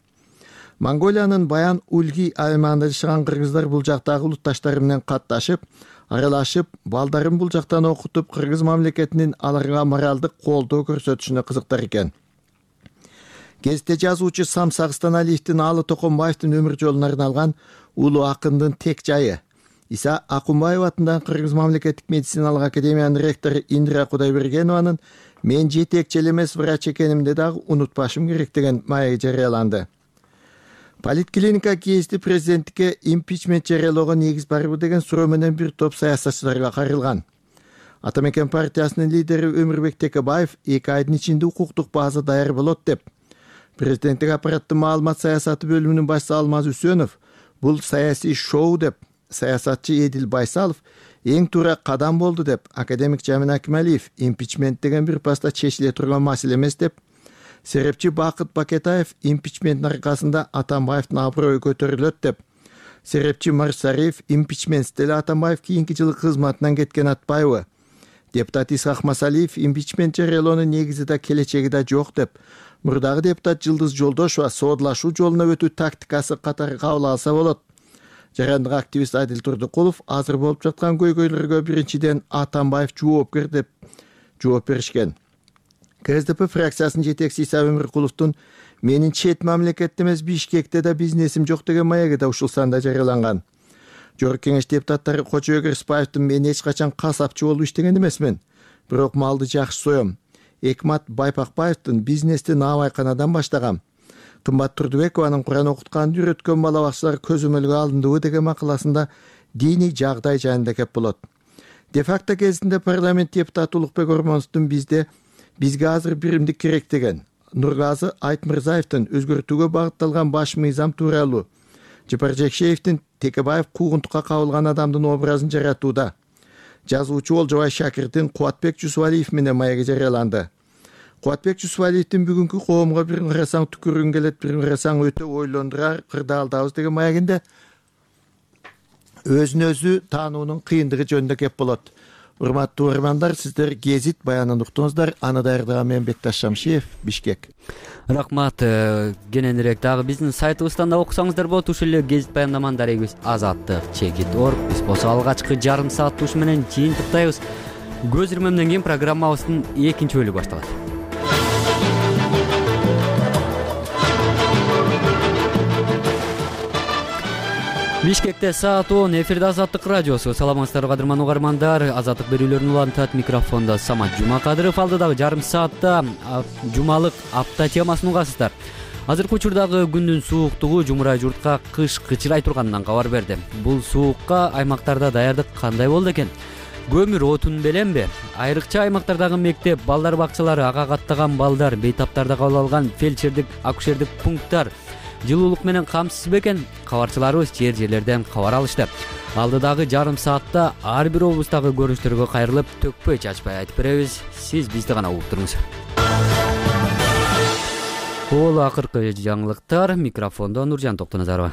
Монголиянын Баян Ульги аймагында жашаган кыргыздар бул жактагы улутташтары менен катташып, аралашып, балдарын бул жактан окутуп, кыргыз мамлекетинин аларга моралдык колдоо көрсөтүшүнө кызыктар экен. Гезитте жазуучу Самсак Станалиевдин Алы Токонбаевдин өмүр жолуна арналган улуу акындын тек жайы. Иса Акунбаева атындагы Кыргыз мамлекеттик медициналык академиянын ректору Индира Кудайбергенованын мен жетекчи эле эмес врач экенимди дагы унутпашым керек деген маеги жарыяланды. Политклиника гезити президенттикке импичмент жарыялоого негиз барбы деген суроо менен бир топ саясатчыларга кайрылган. Ата Мекен партиясынын лидери Өмүрбек Текебаев эки айдын ичинде укуктук база даяр болот деп. Президенттик аппараттын маалымат саясаты бөлүмүнүн башчысы Алмаз Үсөнов бул саясий шоу деп, саясатчы Эдил Байсалов эң туура кадам болду деп, академик Жамин Акималиев импичмент деген бир паста чечиле турган маселе эмес деп, серепчи Бакыт Бакетаев импичменттин аркасында Атамбаевдин аброю көтөрүлөт деп, серепчи Марсариев импичментсиз эле Атамбаев кийинки жылы кызматынан кеткен атпайбы, депутат Исхак Масалиев импичмент жарыялоонун негизи да келечеги да жок деп, мурдагы депутат Жылдыз Жолдошова соодлашуу жолуна өтүү тактикасы катары кабыл алса болот. Жарандык активист Адил Турдукулов азыр болуп жаткан көйгөйлөргө биринчиден Атамбаев жоопкер деп жооп беришкен. КСДП фракциясынын жетекчиси Иса Өмүркуловдун менин чет мамлекетте эмес Бишкекте да бизнесим жок деген маеги да ушул санда жарыяланган. Жогорку кеңеш депутаттары Кочо Кырсбаевдин мен эч качан касапчы болуп иштеген эмесмин, бирок малды жакшы соем. Экмат Байпакбаевдин бизнести наабайканадан баштагам. Кымбат Турдубекованын Куран окутканды үйрөткөн бала бакчылар көзөмөлгө алындыбы деген макаласында диний жагдай жайында кеп болот. Де-факто кезинде парламент депутаты Улукбек Ормоновдун бизде бизге азыр биримдик керек деген, Нургазы Айтмырзаевдин өзгөртүүгө багытталган баш мыйзам тууралуу, Жапар Жекшеевдин Текебаев куугунтукка кабылган адамдын образын жаратууда, жазуучу Олжобай Шакирдин Кубатбек Жусупалиев менен маеги жарыяланды. Кубатбек Жусупалиевдин бүгүнкү коомго бир ырасаң түкүргүн келет, бир ырасаң өтө ойлондурар кырдаалдабыз деген маегинде өзүн өзү таануунун кыйындыгы жөнүндө кеп болот. Урматтуу угармандар, сиздер гезит баянын уктуңуздар. Аны даярдаган мен Бекташ Шамшиев, Бишкек. Рахмат. Кененирээк дагы биздин сайтыбыздан да окусаңыздар болот. Ушул эле гезит баяндаманын дарегибиз азаттык чекит орг. Биз болсо алгачкы жарым саат ушу менен жыйынтыктайбыз. Көз ирмемден кийин программабыздын экинчи бөлүгү башталат. Бишкекте саат он, эфирде Азаттык радиосу. Саламатсыздарбы кадырман угармандар. Азаттык берүүлөрүн улантат микрофондо Самат Жумакадыров. Алдыдагы жарым саатта жумалык апта темасын угасыздар. Азыркы учурдагы күндүн сууктугу жумурай журтка кыш кычырай турганынан кабар берди. Бул суукка аймактарда даярдык кандай болду экен? Көмүр отун беленби? Айрыкча аймактардагы мектеп, балдар бакчалары, ага каттаган балдар, бейтаптарда кабыл алган фельдшердик, акушердик пункттар жылуулук менен камсыз бекен? Кабарчыларыбыз жер жерлерден кабар алышты. Алдыдагы жарым саатта ар бир облустагы көрүнүштөргө кайрылып, төкпөй чачпай айтып беребиз. Сиз бизди гана угуп туруңуз. Бул акыркы жаңылыктар. Микрофондо Нуржан Токтоназарова.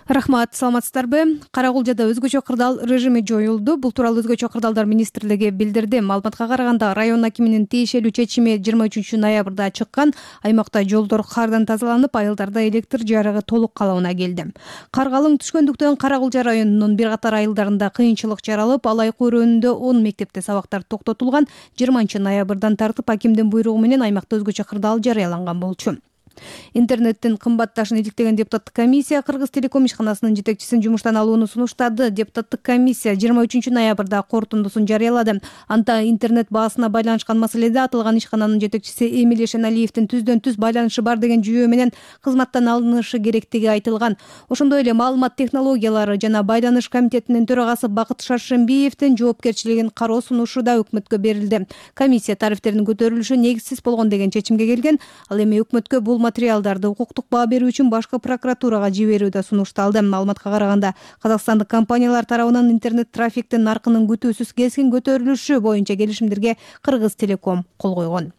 Рахмат, саламатсыздарбы? Карагулжада өзгөчө кырдаал режими жоюлду. Бул тууралуу өзгөчө кырдаалдар министрлиги билдирди. Маалыматка караганда, район акиминин тиешелүү чечими жыйырма үчүнчү ноябрда чыккан. Аймакта жолдор кардан тазаланып, айылдарда электр жарыгы толук калыбына келди. Кар калың түшкөндүктөн Карагулжа районунун бир катар айылдарында кыйынчылык жаралып, Алай көрүүнүндө он мектепте сабактар токтотулган. жыйырманчы ноябрдан тартып акимдин буйругу менен аймакта өзгөчө кырдаал жарыяланган болчу. Интернеттин кымбатташын иликтеген депутаттык комиссия Кыргыз телеком ишканасынын жетекчисин жумуштан алууну сунуштады. Депутаттык комиссия жыйырма үчүнчү ноябрда корутундусун жарыялады. Анда интернет баасына байланышкан маселеде аталган ишкананын жетекчиси Эмиль Эшеналиевдин түздөн түз байланышы бар деген жүйөө менен кызматтан алынышы керектиги айтылган. Ошондой эле маалымат технологиялары жана байланыш комитетинин төрагасы Бакыт Шаршембиевдин жоопкерчилигин кароо сунушу да өкмөткө берилди. Комиссия тарифтердин көтөрүлүшү негизсиз болгон деген чечимге келген. Ал эми өкмөткө бул материалдарды укуктук баа берүү үчүн башкы прокуратурага жиберүү да сунушталды. Маалыматка караганда, казакстандык компаниялар тарабынан интернет трафиктин наркынын күтүүсүз кескин көтөрүлүшү боюнча келишимдерге Кыргыз телеком кол койгон.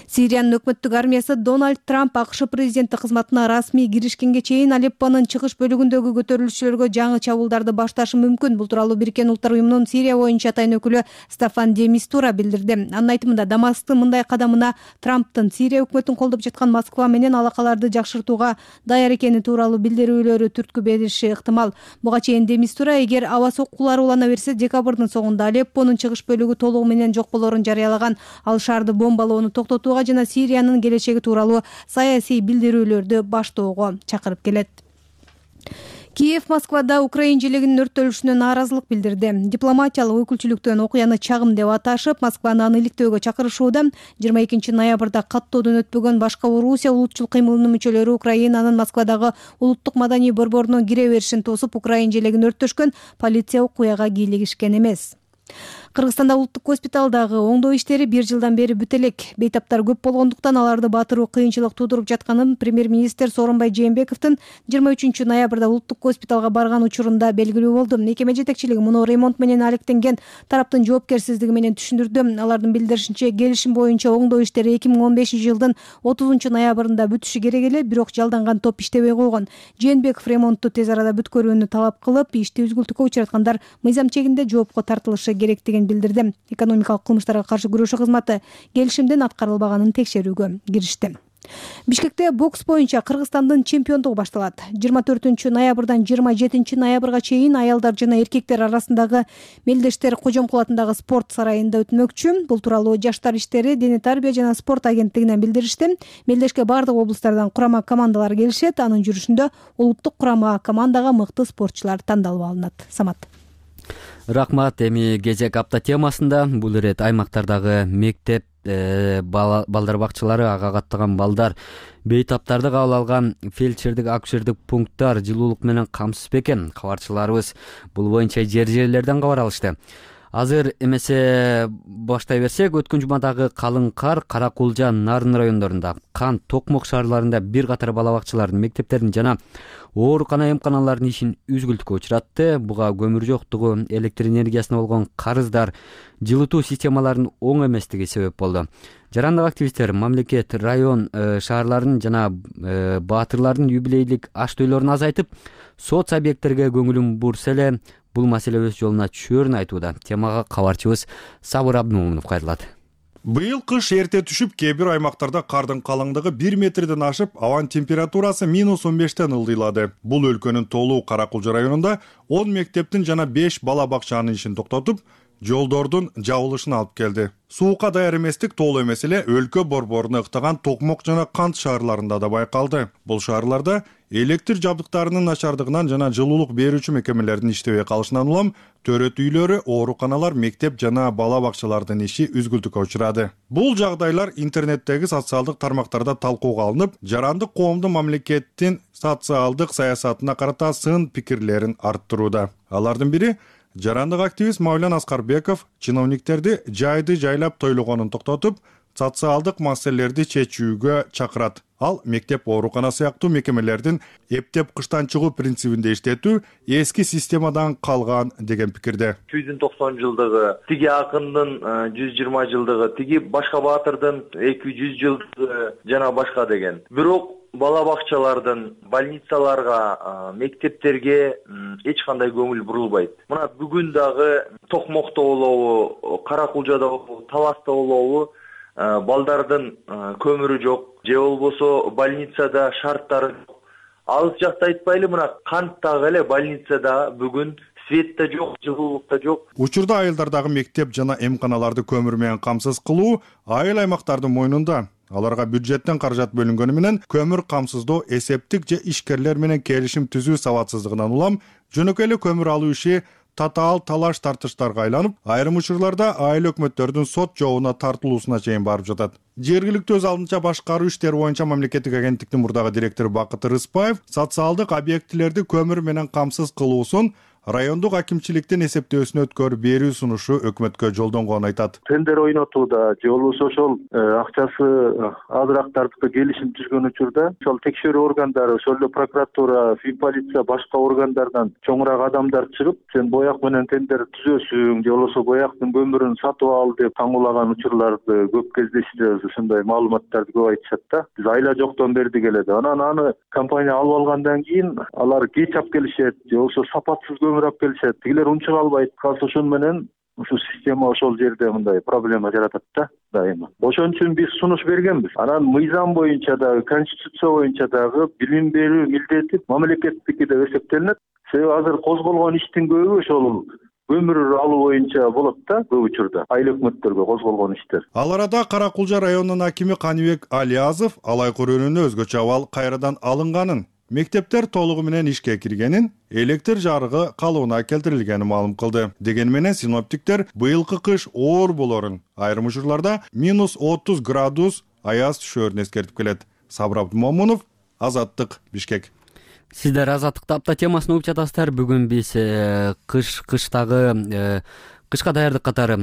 Сириянын өкмөттүк армиясы Дональд Трамп АКШ президенти кызматына расмий киришкенге чейин Алеппонун чыгыш бөлүгүндөгү көтөрүлүшчүлөргө жаңы чабуулдарды башташы мүмкүн. Бул тууралуу Бириккен Улуттар уюмунун Сирия боюнча атайын өкүлү Стафан де Мистура билдирди. Анын айтымында, Дамасктын мындай кадамына Трамптын Сирия өкмөтүн колдоп жаткан Москва менен алакаларды жакшыртууга даяр экени тууралуу билдирүүлөрү түрткү бериши ыктымал. Буга чейин де Мистура, эгер аба соккулары улана берсе, декабрдын соңунда Алеппонун чыгыш бөлүгү толугу менен жок болоорун жарыялаган. Ал шаарды бомбалоону токтотууга жана Сириянын келечеги тууралуу саясий билдирүүлөрдү баштоого чакырып келет. Киев Москвада украинчилигинин өрттөлүшүнө нааразылык билдирди. Дипломатиялык өкүлчүлүктөн окуяны чагым деп аташып, Москваны аны иликтөөгө чакырышууда. жыйырма экинчи ноябрда каттоодон өтпөгөн башка Орусия улутчул кыймылынын мүчөлөрү Украинанын Москвадагы улуттук маданий борборунун кире беришин тосуп, украинчилигин өрттөшкөн. Полиция окуяга кийлигишкен эмес. Кыргызстанда улуттук госпиталдагы оңдоо иштери бир жылдан бери бүт элек. Бейтаптар көп болгондуктан аларды батыруу кыйынчылык туудуруп жатканын премьер-министр Сооронбай Жээнбековдун жыйырма үчүнчү ноябрда улуттук госпиталга барган учурунда белгилүү болду. Мекеме жетекчилиги муну ремонт менен алектенген тараптын жоопкерсиздиги менен түшүндүрдү. Алардын билдиришинче, келишим боюнча оңдоо иштери эки миң он бешинчи жылдын отузунчу ноябрында бүтүшү керек эле, бирок жалданган топ иштебей койгон. Жээнбеков ремонтту тез арада бүткөрүүнү талап кылып, ишти үзгүлтүккө учраткандар мыйзам чегинде жоопко тартылышы керектигин билдирди. Экономикалык кылмыштарга каршы күрөшүү кызматы келишимдин аткарылбаганын текшерүүгө киришти. Бишкекте бокс боюнча Кыргызстандын чемпиондугу башталат. жыйырма төртүнчү ноябрдан жыйырма жетинчи ноябрга чейин аялдар жана эркектер арасындагы Мелдештер Кожомкул атындагы спорт сарайында өтмөкчү. Бул тууралуу Жаштар иштери, дене тарбия жана спорт агенттигинен билдиришти. Мелдешке бардык облустардан курама командалар келишет. Анын жүрүшүндө улуттук курама командага мыкты спортчулар тандалып алынат. Самат. Рахмат. Эми кезек апта темасында бул ирет аймактардагы мектеп, балдар бакчалары, ага каттаган балдар, бейтаптарды кабыл алган фельдшердик, акушердик пункттар жылуулук менен камсыз бекен? Кабарчыларыбыз бул боюнча жер жерлерден кабар алышты. Азыр эмесе баштай берсек, өткөн жумадагы калың кар Каракулжа, Нарын райондорунда, Кан, Токмок шаарларында бир катар бала бакчалардын, мектептердин жана оорукана эмканалардын ишин үзгүлтүккө учуратты. Буга көмүр жоктугу, электр энергиясына болгон карыздар, жылытуу системаларынын оң эместиги себеп болду. жарандык активисттер мамлекет, район, шаарлардын жана баатырлардын юбилейлик аш тойлорун азайтып, соц объекттерге көңүлүн бурса эле бул маселе өз жолуна түшөөрүн айтууда. Темага кабарчыбыз Сабыр Абдымомунов кайрылат. Быйыл кыш эрте түшүп, кээ бир аймактарда кардын калыңдыгы бир метрден ашып, абанын температурасы минус он бештен ылдыйлады. Бул өлкөнүн Толуу Кара Кулжа районунда он мектептин жана беш бала бакчанын ишин токтотуп, жолдордун жабылышына алып келди. Суукка даяр эместик толуу эмес эле өлкө борборуна ыктаган Токмок жана Кант шаарларында да байкалды. Бул шаарларда электр жабдыктарынын начардыгынан жана жылуулук берүүчү мекемелердин иштебей калышынан улам төрөт үйлөрү, ооруканалар, мектеп жана бала бакчалардын иши үзгүлтүккө учурады. Бул жагдайлар интернеттеги социалдык тармактарда талкууга алынып, жарандык коомдун мамлекеттин социалдык саясатына карата сын пикирлерин арттырууда. Алардын бири жарандык активист Мавлян Аскарбеков чиновниктерди жайды жайлап тойлогонун токтотуп, социалдык маселелерди чечүүгө чакырат. Ал мектеп, оорукана сыяктуу мекемелердин эптеп кыштан чыгуу принцибинде иштетүү эски системадан калган деген пикирде. жүз токсон жылдыгы, тиги акындын жүз жыйырма жылдыгы, тиги башка баатырдын эки жүз жылдыгы жана башка деген. Бирок бала бакчалардын, больницаларга, мектептерге эч кандай көңүл бурулбайт. Мына бүгүн дагы Токмокто болобу, Кара Кулжада болобу, Таласта болобу балдардын көмүрү жок, же болбосо больницада шарттары жок. Алыс жакта айтпайлы, мына Канттагы эле больницада бүгүн свет да жок, жылуулук да жок. Учурда айылдардагы мектеп жана эмканаларды көмүр менен камсыз кылуу айыл аймактардын мойнунда. Аларга бюджеттен каражат бөлүнгөнү менен көмүр камсыздоо эсептик же ишкерлер менен келишим түзүү сабатсыздыгынан улам жөнөкөй эле көмүр алуу иши татаал талаш тартыштарга айланып, айрым учурларда айыл өкмөттөрдүн сот жообуна тартылуусуна чейин барып жатат. Жергиликтүү өз алдынча башкаруу иштери боюнча мамлекеттик агенттиктин мурдагы директору Бакыт Рыспаев социалдык объектилерди көмүр менен камсыз кылуусун райондук акимчиликтин эсептөөсүнө өткөрүп берүү сунушу өкмөткө жолдонгонун айтат. Тендер ойнотууда же болбосо ошол акчасы азыраак тартып келишим түзгөн учурда ошол текшерүү органдары, ошол эле прокуратура, полиция, башка органдардан чоңураак адамдар чыгып, сен бояк менен тендер түзөсүң же болбосо бояктын көмүрүн сатып ал деп таңуулаган учурларды көп кездештиребиз. Ушундай маалыматтарды көп айтышат да. Биз айла жоктон бердик эле деп. Анан аны компания алып алгандан кийин алар кеч алып келишет же болбосо сапатсыз көмүр алып келишет. Тигилер унчук албайт. Калса ошон менен ушу система ошол жерде мындай проблема жаратат да дайыма. Ошон үчүн биз сунуш бергенбиз. Анан мыйзам боюнча дагы, конституция боюнча дагы билим берүү милдети мамлекеттики деп эсептелинет. Себеби азыр козголгон иштин көбү ошол көмүр алуу боюнча болот да, көп учурда айыл өкмөттөргө козголгон иштер. Ал арада Кара Кулжа районунун акими Каныбек Алиязов алай көрүүнүнө өзгөчө абал кайрадан алынганын, мектептер толугу менен ишке киргенин, электр жарыгы калыбына келтирилгенин маалым кылды. Дегени менен синоптиктер быйылкы кыш оор болорун, айрым учурларда минус отуз градус аяз түшөөрүн эскертип келет. Сабыр Абдымомунов, Азаттык, Бишкек. Сиздер Азаттыкта апта темасын угуп жатасыздар. Бүгүн биз кыш кыштагы кышка даярдык катары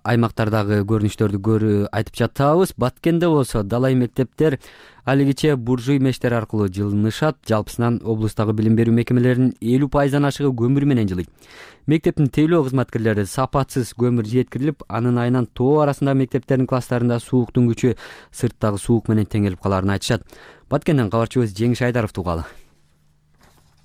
аймактардагы көрүнүштөрдү көрүп айтып жатабыз. Баткенде болсо далай мектептер алигиче буржуй мештер аркылуу жылынышат. Жалпысынан облустагы билим берүү мекемелеринин элүү пайыздан ашыгы көмүр менен жылыйт. Мектептин тейлөө кызматкерлери сапатсыз көмүр жеткирилип, анын айынан тоо арасындагы мектептердин класстарында сууктун күчү сырттагы суук менен тең келип калаарын айтышат. Баткенден кабарчыбыз Жеңиш Айдаровду угалы.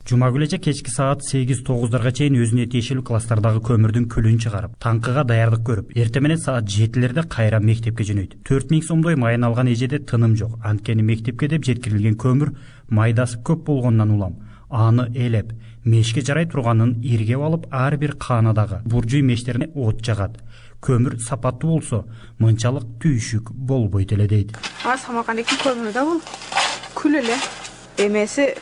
Жума күнү кечки саат сегиз тогуздарга чейин өзүнө тиешелүү класстардагы көмүрдүн күлүн чыгарып, таңкыга даярдык көрүп, эртең менен саат жетилерде кайра мектепке жөнөйт. төрт миң сомдой майын алган эжеде тыным жок. Анткени мектепке деп жеткирилген көмүр майдасы көп болгондон улам аны элеп, мешке жарай турганын иргеп алып, ар бир каанадагы буржуй мештерине от жагат. Көмүр сапаттуу болсо, мынчалык түйшүк болбойт эле дейт. Асамакандеки көмүрү да бул күл эле. Эмеси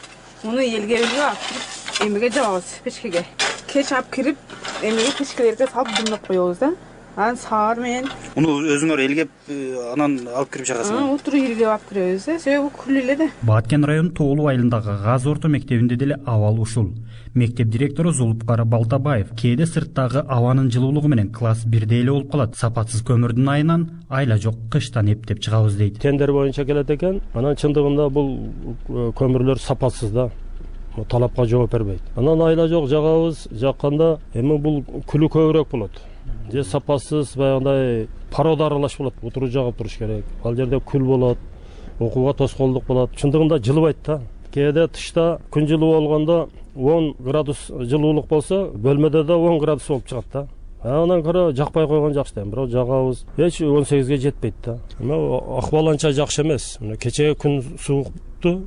муну элге элге алып эмеге жабабыз печкеге. Кеч алып кирип, эмеге печкелерге салып дымдап коебуз да. Анан саар менен муну өзүңөр элгеп, анан алып кирип чыгасыңар. Отуруп элгеп алып киребиз да. Себеби күл эле да. Баткен районунун Тоолуу айылындагы Газ орто мектебинде деле абал ушул. Мектеп директору Зулупкара Балтабаев кээде сырттагы абанын жылуулугу менен класс бирде эле болуп калат. Сапатсыз көмүрдүн айынан айла жок кыштан эптеп чыгабыз дейт. Тендер боюнча келет экен. Анан чындыгында бул көмүрлөр сапатсыз да. Талапка жооп бербейт. Анан айла жок жагабыз, жакканда эми бул күлү көбүрөөк болот. Же сапасыз баягындай порода аралаш болот, отуруп жагып туруш керек. Ал жерде күл болот, окууга тоскоолдук болот. Чындыгында жылыбайт да. Кээде тышта күн жылуу болгондо он градус жылуулук болсо, бөлмөдө да он градус болуп чыгат да. Анан көрө жакпай койгон жакшы да. Бирок жагабыз эч он сегизге жетпейт да. Эми акыбал анча жакшы эмес. Мына кечээ күн суукту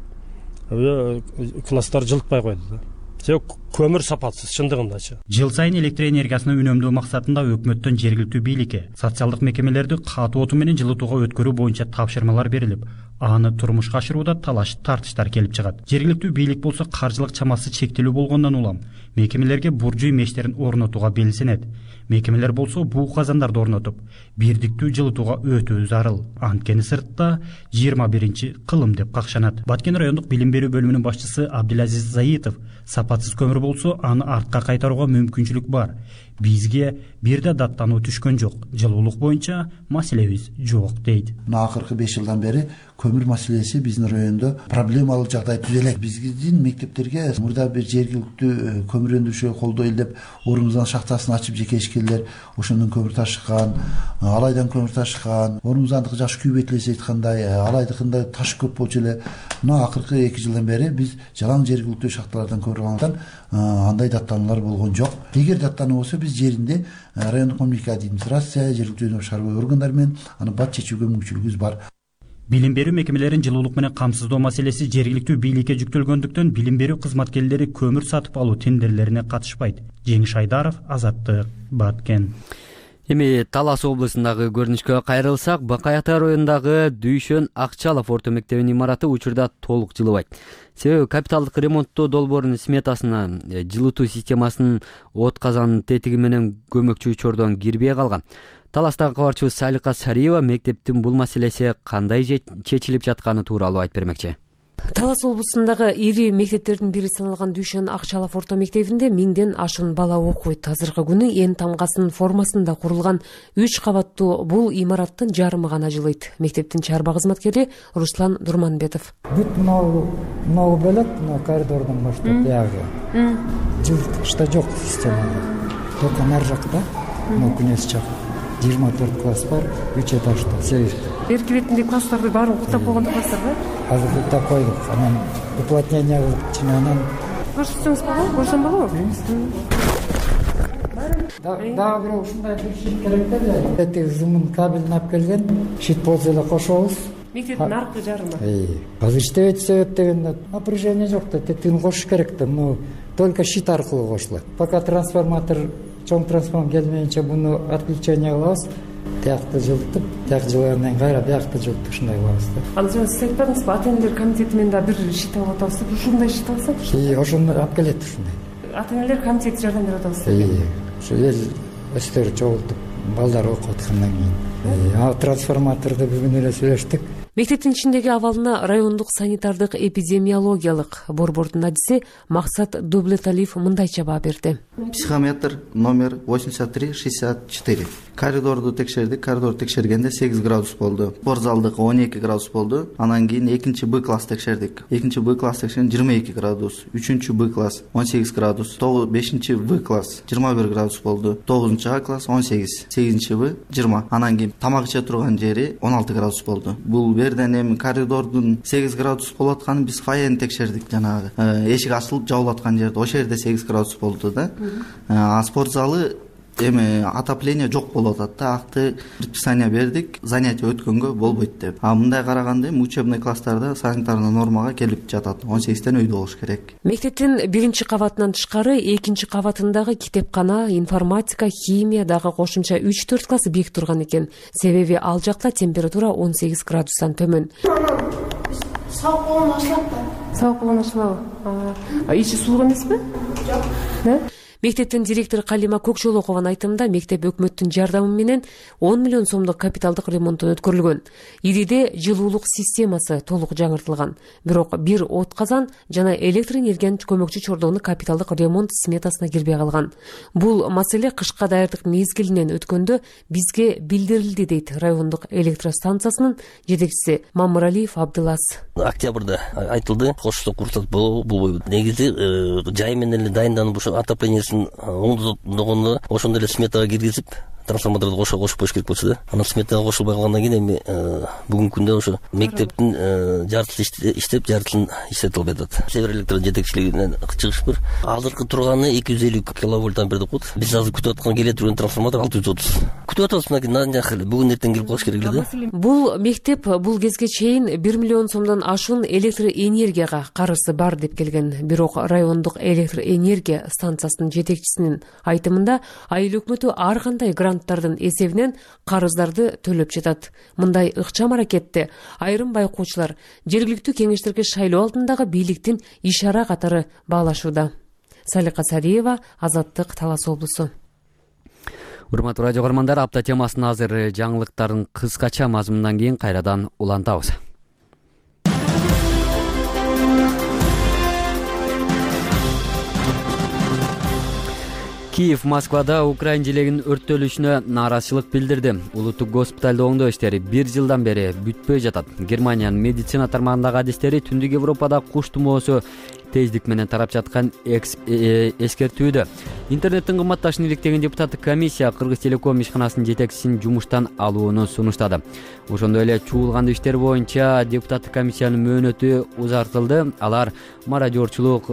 класстар жылытпай койду да. Себеби көмүр сапатсыз чындыгындачы. Жыл сайын электр энергиясын үнөмдөө максатында өкмөттөн жергиликтүү бийликке социалдык мекемелерди катуу отун менен жылытууга өткөрүү боюнча тапшырмалар берилип, аны турмушка ашырууда талаш тартыштар келип чыгат. Жергиликтүү бийлик болсо каржылык чамасы чектелүү болгондон улам мекемелерге буржуй мештерин орнотууга белсенет. Мекемелер болсо буу казандарды орнотуп, бирдиктүү жылытууга өтүү зарыл. Анткени сыртта жыйырма биринчи кылым деп какшанат. Баткен райондук билим берүү бөлүмүнүн башчысы Абдилазиз Заитов сапатсыз көмүр болсо аны артка кайтарууга мүмкүнчүлүк бар. Бизге бир да даттануу түшкөн жок. Жылуулук боюнча маселебиз жок дейт. Акыркы беш жылдан бери көмүр маселеси биздин райондо проблемалуу жагдай түзөлөт. Биздин мектептерге мурда бир жергиликтүү көмүр өндүрүшкө колдоо илдеп, орнумуздан шахтасын ачып жеке ишкерлер ошондон көмүр ташыккан, алайдан көмүр ташыккан. Орнумуздандыкы жаш күйбөт эле айткандай, алайдыкында таш көп болчу эле. Мына акыркы эки жылдан бери биз жалаң жергиликтүү шахталардан көмүр алган, андай даттануулар болгон жок. Эгер даттануу болсо биз жеринде райондук мамлекеттик администрация, жергиликтүү шаруа органдары менен аны бат чечүүгө мүмкүнчүлүгүбүз бар. Билим берүү мекемелерин жылуулук менен камсыздоо маселеси жергиликтүү бийликке жүктөлгөндүктөн билим берүү кызматкерлери көмүр сатып алуу тендерлерине катышпайт. Жеңиш Айдаров, Азаттык, Баткен. Эми Талас облусундагы көрүнүшкө кайрылсак, Бакай Ата районундагы Дүйшөн Акчалов орто мектебинин имараты учурда толук жылыбайт. Себеби капиталдык ремонттоо долбоорунун сметасына жылытуу системасынын от казанын тетиги менен көмөкчү чордон кирбей калган. Таластагы кабарчыбыз Салика Сариева мектептин бул маселеси кандай чечилип жатканы тууралуу айтып бермекчи. Талас облусундагы ири мектептердин бири саналган Дүйшөн Акчалов орто мектебинде миңден ашуун бала окуйт. Азыркы күнү эң тамгасынын формасында курулган үч кабаттуу бул имараттын жарымы гана жылыйт. Мектептин чарба кызматкери Руслан Дурманбетов. Бүт мынау мынау бөлөк, мына коридордон баштап ягы. Жылыткычта жок система. Только нар жакта, мына күнөс жак. жыйырма төрт класс бар, үч этажда, сегиз. Берки бетинде класстарды баарын куттап болгон класстар да? Азыр куттап койдук. Анан уплотнение кылып чынанан көрсөтсөңүз болобу? Көрсөм болобу? Дагы бирок ушундай бир шит керек да. Эти зымын кабелин алып келген, шит болсо эле кошобуз. Мектептин аркы жарымы. Азыр иштебейт себеп дегенде напряжение жок да, тетигин кошуш керек да. Ну только шит аркылуу кошулат. Пока трансформатор чоң трансформ келмейинче буну отключение кылабыз. Тиякты жылытып, тияк жылгандан кайра биякты жылытып ушундай кылабыз да. Ал жана сиз айтпадыңызбы, ата энелер комитети менен да бир шит алып атабыз деп, ушундай шит алсак? И ошону алып келет ушундай. Ата энелер комитети жардам берип атабыз деп. Ушу эл өстөрү чогултуп, балдар окуп аткандан кийин. А трансформаторду бүгүн эле сүйлөштүк. Мектептин ичиндеги абалына райондук санитардык эпидемиологиялык борбордун адиси Максат Дублеталиев мындайча баа берди. Психометр номер восемьдесят три шестьдесят четыре. Коридорду текшердик. Коридорду текшергенде сегиз градус болду. Спортзалдыкы он эки градус болду. Анан кийин экинчи Б класс текшердик. экинчи Б класс текшерген жыйырма эки градус. үчүнчү Б класс он сегиз градус. бешинчи В класс жыйырма бир градус болду. тогузунчу А класс он сегиз. сегизинчи В жыйырма. Анан кийин тамак иче турган жери он алты градус болду. Бул берден эми коридордун сегиз градус болуп атканын биз фойени текшердик. Жанагы эшик ачылып жабылып аткан жерде ошол жерде сегиз градус болду да. А спорт залы эми отопление жок болуп атат да. Акты предписание бердик, занятие өткөнгө болбойт деп. А мындай караганда эми учебный класстарда санитарный нормага келип жатат. он сегизден үйдө болуш керек. Мектептин биринчи кабатынан тышкары экинчи кабатындагы китепкана, информатика, химия дагы кошумча үч төрт класс бийик турган экен. Себеби ал жакта температура он сегиз градустан төмөн. Сабак болгон ашылат да. Сабак болгон ашылабы? А ичи суук эмеспи? Жок. Да? Мектептин директору Калима Көкжолокованын айтымында мектеп өкмөттүн жардамы менен он миллион сомдук капиталдык ремонттон өткөрүлгөн. Ириде жылуулук системасы толук жаңыртылган. Бирок бир от казан жана электр энергиянын көмөкчү чордону капиталдык ремонт сметасына кирбей калган. Бул маселе кышка даярдык мезгилинен өткөндө бизге билдирилди дейт райондук электростанциясынын жетекчиси Мамыралиев Абдылас. Октябрда айтылды, кошто курсат болбойбу. Негизи жай менен эле дайынданып ошо отопление оңдогондо ошондой эле сметага киргизип трансформаторду кошо кошуп коюш керек болчу да. Анан сметага кошулбай калгандан кийин эми бүгүнкү күндө ошо мектептин жартысы иштеп, жартысын иштете албай атат. Север электро жетекчилигинен чыгыш бар. Азыркы турганы эки жүз элүү киловольт ампер деп коет. Биз азыр күтүп аткан келе турган трансформатор алты жүз отуз. Күтүп атабыз, мынакей нанжак эле бүгүн эртең келип калыш керек эле да. Бул мектеп бул кезге чейин бир миллион сомдон ашуун электр энергияга карызы бар деп келген. Бирок райондук электр энергия станциясынын жетекчисинин айтымында айыл өкмөтү ар кандай гранттардын эсебинен карыздарды төлөп жатат. Мындай ыкчам аракетти айрым байкоочулар жергиликтүү кеңештерге шайлоо алдындагы бийликтин ишара катары баалашууда. Салика Сариева, Азаттык, Талас облусу. Урматтуу радио көрөрмандар, апта темасын азыр жаңылыктардын кыскача мазмунунан кийин кайрадан улантабыз. Киев Москвада Украин желегинин өрттөлүшүнө нааразычылык билдирди. Улуттук госпиталда оңдоо иштери бир жылдан бери бүтпөй жатат. Германиянын медицина тармагындагы адистери Түндүк Европада куш тумоосу тездик менен тарап жаткан эскертүүдө. Интернеттин кымбатташын иликтеген депутаттык комиссия Кыргыз Телеком ишканасынын жетекчисин жумуштан алууну сунуштады. Ошондой эле чуулгандуу иштер боюнча депутаттык комиссиянын мөөнөтү узартылды. Алар мародерчулук,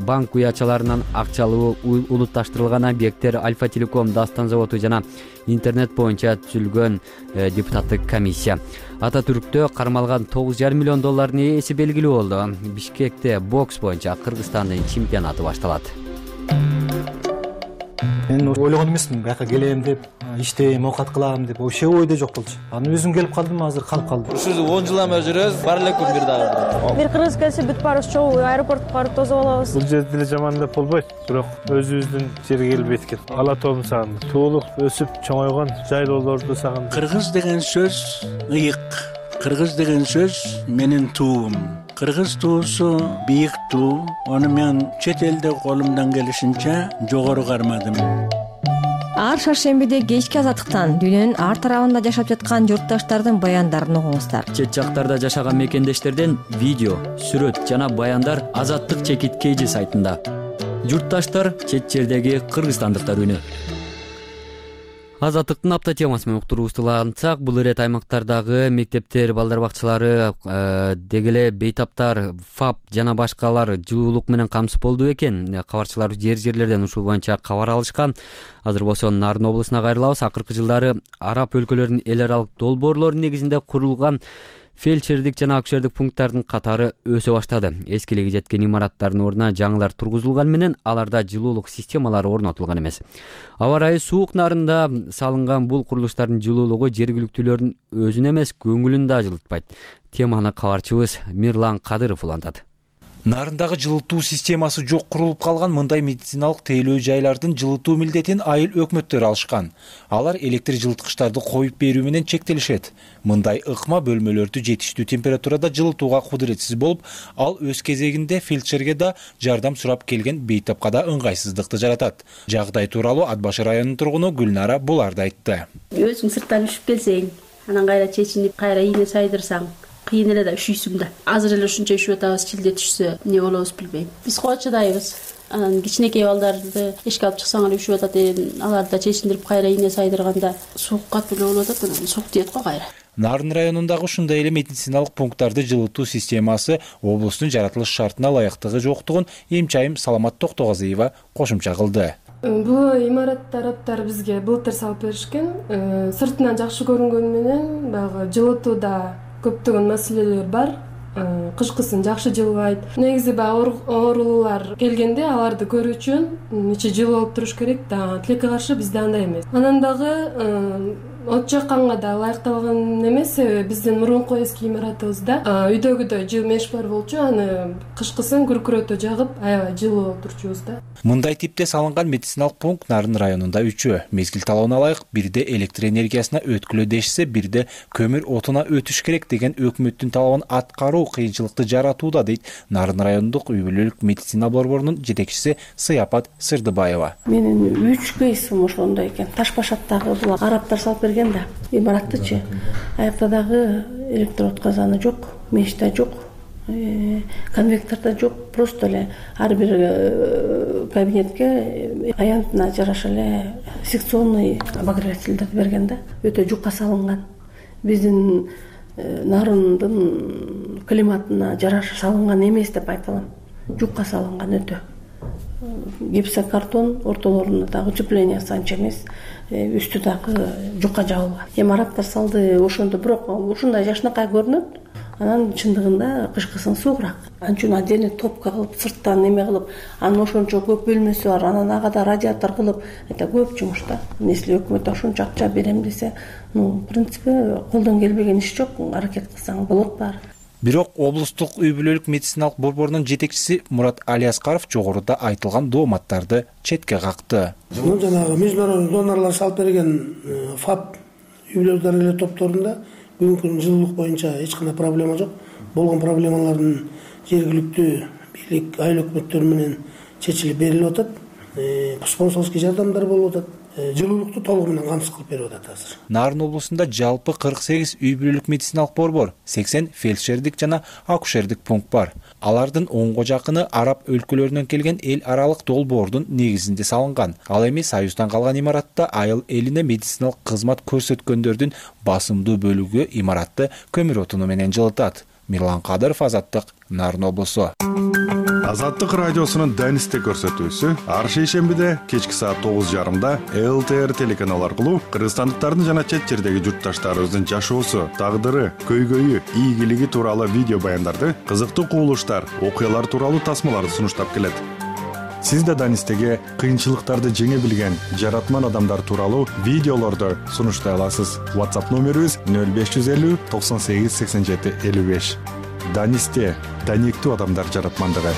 банк уячаларынан акчалуу улутташтырылган объекттер, Альфа Телеком, Дастан заводу жана интернет боюнча түзүлгөн депутаттык комиссия. Ата Түрктө кармалган тогуз жарым миллион доллардын ээси белгилүү болду. Бишкекте бокс боюнча Кыргызстандын чемпионаты башталат. Мен ойлогон эмесмин, бияка келем деп, иштейм, оокат кылам деп, вообще ойдо жок болчу. Анан өзүм келип калдым, азыр калып калдым. Ушул он жылдан бери жүрөбүз, бар эле күн бир дагы. Бир кыргыз келсе бүт барыбыз чогуу аэропортко барып тосуп алабыз. Бул жерде деле жаман деп болбойт, бирок өзүбүздүн жерге келип эткен. Ала тоом сагындым. Туулуп, өсүп, чоңойгон жайлоолорду сагындым. Кыргыз деген сөз ыйык. Кыргыз деген сөз менин туум. Кыргыз туусу бийик туу. Аны мен чет элде колумдан келишинче жогору кармадым. Ар шаршембиде кечки азаттыктан дүйнөнүн ар тарабында жашап жаткан журтташтардын баяндарын угуңуздар. Чет жактарда жашаган мекендештерден видео, сүрөт жана баяндар Азаттык чекит кейжи сайтында. Журтташтар чет жердеги кыргызстандыктар үнү. Азаттыктын апта темасы менен уктуруубузду улантсак, бул ирет аймактардагы мектептер, балдар бакчалары, дегеле бейтаптар, ФАП жана башкалар жылуулук менен камсыз болду экен. Кабарчылар жер-жерлерден ушул боюнча кабар алышкан. Азыр болсо Нарын облусуна кайрылабыз. Акыркы жылдары араб өлкөлөрүнүн эл аралык долбоорлору негизинде курулган фельдшердик жана акушердик пункттардын катары өсө баштады. Эскилиги жеткен имараттардын ордуна жаңылар тургузулган менен аларда жылуулук системалары орнотулган эмес. Аба ырайы суук нарында салынган бул курулуштардын жылуулугу жергиликтүүлөрдүн өзүн эмес, көңүлүн да жылытпайт. Теманы кабарчыбыз Мирлан Кадыров улантат. Нарындагы жылытуу системасы жок курулуп калган мындай медициналык тейлөө жайлардын жылытуу милдетин айыл өкмөттөр алышкан. Алар электр жылыткычтарды коюп берүү менен чектелишет. Мындай ыкма бөлмөлөрдү жетиштүү температурада жылытууга кудуретсиз болуп, ал өз кезегинде фельдшерге да жардам сурап келген бейтапка да ыңгайсыздыкты жаратат. Жагдай тууралуу Ат башы районунун тургуну Гүлнара буларды айтты. Өзүң сырттан үшүп келсең, анан кайра чечинип, кайра ийне сайдырсаң, кыйын эле да üşүйсүң да. Азыр эле ушунча üşүп атабыз, чилде түшсө эмне болобуз билбейм. Биз кочодайбыз. Анан кичинекей балдарды эшикке алып чыксаң эле üşүп атат, аларды да чечиндирип кайра ийне сайдырганда суук катуу эле болуп атат, анан суук тиет го кайра. Нарын районундагы ушундай эле медициналык пункттарды жылытуу системасы облустун жаратылыш шартына ылайыктыгы жоктугун эмчайым Саламат Токтогазиева кошумча кылды. Бул имарат тараптар бизге былтыр салып беришкен. Сыртынан жакшы көрүнгөнү менен баягы жылытууда көптөгөн маселелер бар. Кышкысын жакшы жылбайт. Негизи баягы оорулуулар келгенде аларды көрүү үчүн ичи жылуу болуп туруш керек да. Тилекке каршы бизде андай эмес. Анан дагы от жакканга да ылайыкталган эмес, себеби биздин мурунку эски имаратыбызда үйдөгүдөй жылуу меш бар болчу, аны кышкысын күркүрөтө жагып аябай жылуу болуп турчубуз да. Мындай типте салынган медициналык пункт Нарын районунда үчөө. Мезгил талабына ылайык бирде электр энергиясына өткүлө дешсе, бирде көмүр отуна өтүш керек деген өкмөттүн талабын аткаруу кыйынчылыкты жаратууда, дейт Нарын райондук үй бүлөлүк медицина борборунун жетекчиси Сыяпат Сырдыбаева. Менин үч кейсим ошондой экен. Таш башаттагы бул арабтар салып берген да. Имараттычы. Аякта дагы электр отказаны жок, меш да жок. конвектордо жок, просто эле ар бир кабинетке аянтына жараша эле секционный обогревательдерди берген да, өтө жукка салынган. Биздин Нарындын климатына жараша салынган эмес деп айта алам. Жукка салынган өтө. Гипсокартон ортолорунда дагы утеплениеси анча эмес, үстү дагы жукка жабылган. Имараттар салды ошондо, бирок ушундай жашынакай көрүнөт. Анан чындыгында кышкысын суугураак. Анча отдельный топка кылып, сырттан неме кылып, анын ошончо көп бөлмөсү бар, анан агада радиатор кылып, это көп жумуш да. Если өкмөт ошончо акча берем десе, ну, в принципе, колдон келбеген иш жок, аракет кылсаң болот баары. Бирок облустук үй бүлөлүк медициналык борборунун жетекчиси Мурат Алияскаров жогоруда айтылган дооматтарды четке какты. Ну, жанагы международный донорлор салып берген ФАП үй бүлөлүк дарыгерлер топторунда бүгүнкү күндүн жылуулук боюнча эч кандай проблема жок. Болгон проблемалардын жергиликтүү бийлик, айыл өкмөттөрү менен чечилип берилип атат. Спонсорский жардамдар болуп атат. Жылуулукту толугу менен камсыз кылып берип атат азыр. Нарын облусунда жалпы кырк сегиз үй бүлөлүк медициналык борбор, сексен фельдшердик жана акушердик пункт бар. Алардын онго жакыны араб өлкөлөрүнөн келген эл аралык долбоордун негизинде салынган. Ал эми Союздан калган имаратта айыл элине медициналык кызмат көрсөткөндөрдүн басымдуу бөлүгү имаратты көмүр отуну менен жылытат. Мирлан Кадыров, Азаттык, Нарын облусу. Азаттык радиосунун Данисте көрсөтүүсү ар шейшембиде кечки саат тогуз жарымда эл тэ эр телеканалы аркылуу кыргызстандыктардын жана чет жердеги журтташтарыбыздын жашоосу, тагдыры, көйгөйү, ийгилиги тууралуу видео баяндарды, кызыктуу кубулуштар, окуялар тууралуу тасмаларды сунуштап келет. Сиз да Данистеге кыйынчылыктарды жеңе билген жаратман адамдар тууралуу видеолорду сунуштай аласыз. WhatsApp номерибиз нөл беш жүз элүү токсон сегиз сексен жети элүү беш. Данисте даниктүү адамдар жаратмандыгы.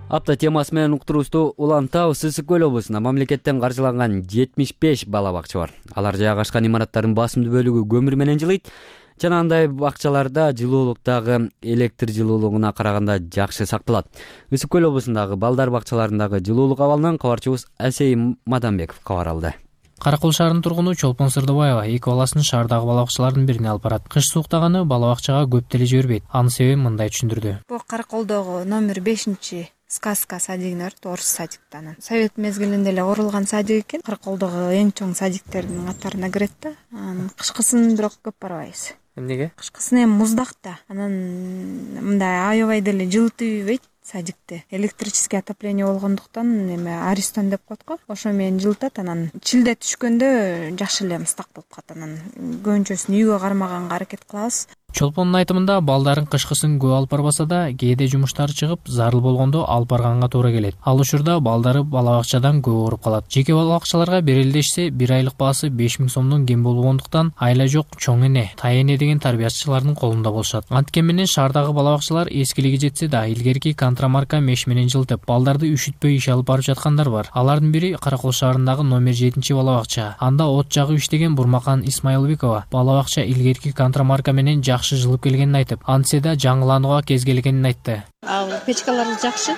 Апта темасы менен уктуруубузду улантабыз. Ысык көл облусунда мамлекеттен каржыланган жетимиш беш бала бакча бар. Алар жайгашкан имараттардын басымдуу бөлүгү көмүр менен жылыйт. Жана андай бакчаларда жылуулук дагы электр жылуулугуна караганда жакшы сакталат. Ысык көл облусундагы балдар бакчаларындагы жылуулук абалынан кабарчыбыз Асей Маданбеков кабар алды. Каракөл шаарынын тургуну Чолпон Сырдыбаева эки баласын шаардагы бала бакчалардын бирине алып барат. Кыш сууктаганы бала бакчага көп деле жибербейт. Анын себебин мындай түшүндүрдү. Бул Каракөлдөгү номер бешинчи сказка садигине орус садиктан. Совет мезгилинде эле курулган садик экен. Каракөлдөгү эң чоң садиктердин катарына кирет да. Кышкысын бирок көп барбайбыз. Эмнеге? Кышкысын эми муздак да. Анан мындай аябай деле жылытып ийбейт садикти. Электрический отопление болгондуктан эме аристон деп коет го. Ошо менен жылытат. Анан чилде түшкөндө жакшы эле мыстак болуп калат. Анан көбүнчөсүн үйгө кармаганга аракет кылабыз. Чолпондун айтымында балдарын кышкысын көп алып барбаса да, кээде жумуштары чыгып, зарыл болгондо алып барганга туура келет. Ал учурда балдары бала бакчадан көп ооруп калат. Жеке бала бакчаларга берилдешсе, бир айлык баасы беш миң сомдон кем болгондуктан айла жок чоң эне, тай эне деген тарбиячылардын колунда болушат. Анткени менен шаардагы бала бакчалар эскилиги жетсе да, илгерки контрамарка меш менен жылытып, балдарды үшүтпөй иш алып барып жаткандар бар. Алардын бири Каракөл шаарындагы номер жетинчи бала бакча. Анда от жагып иштеген Бурмакан Исмаилбекова бала бакча илгерки контрамарка менен жакшы жылып келгенин айтып, антсе да жаңыланууга кез келгенин айтты. Ал печкалары жакшы.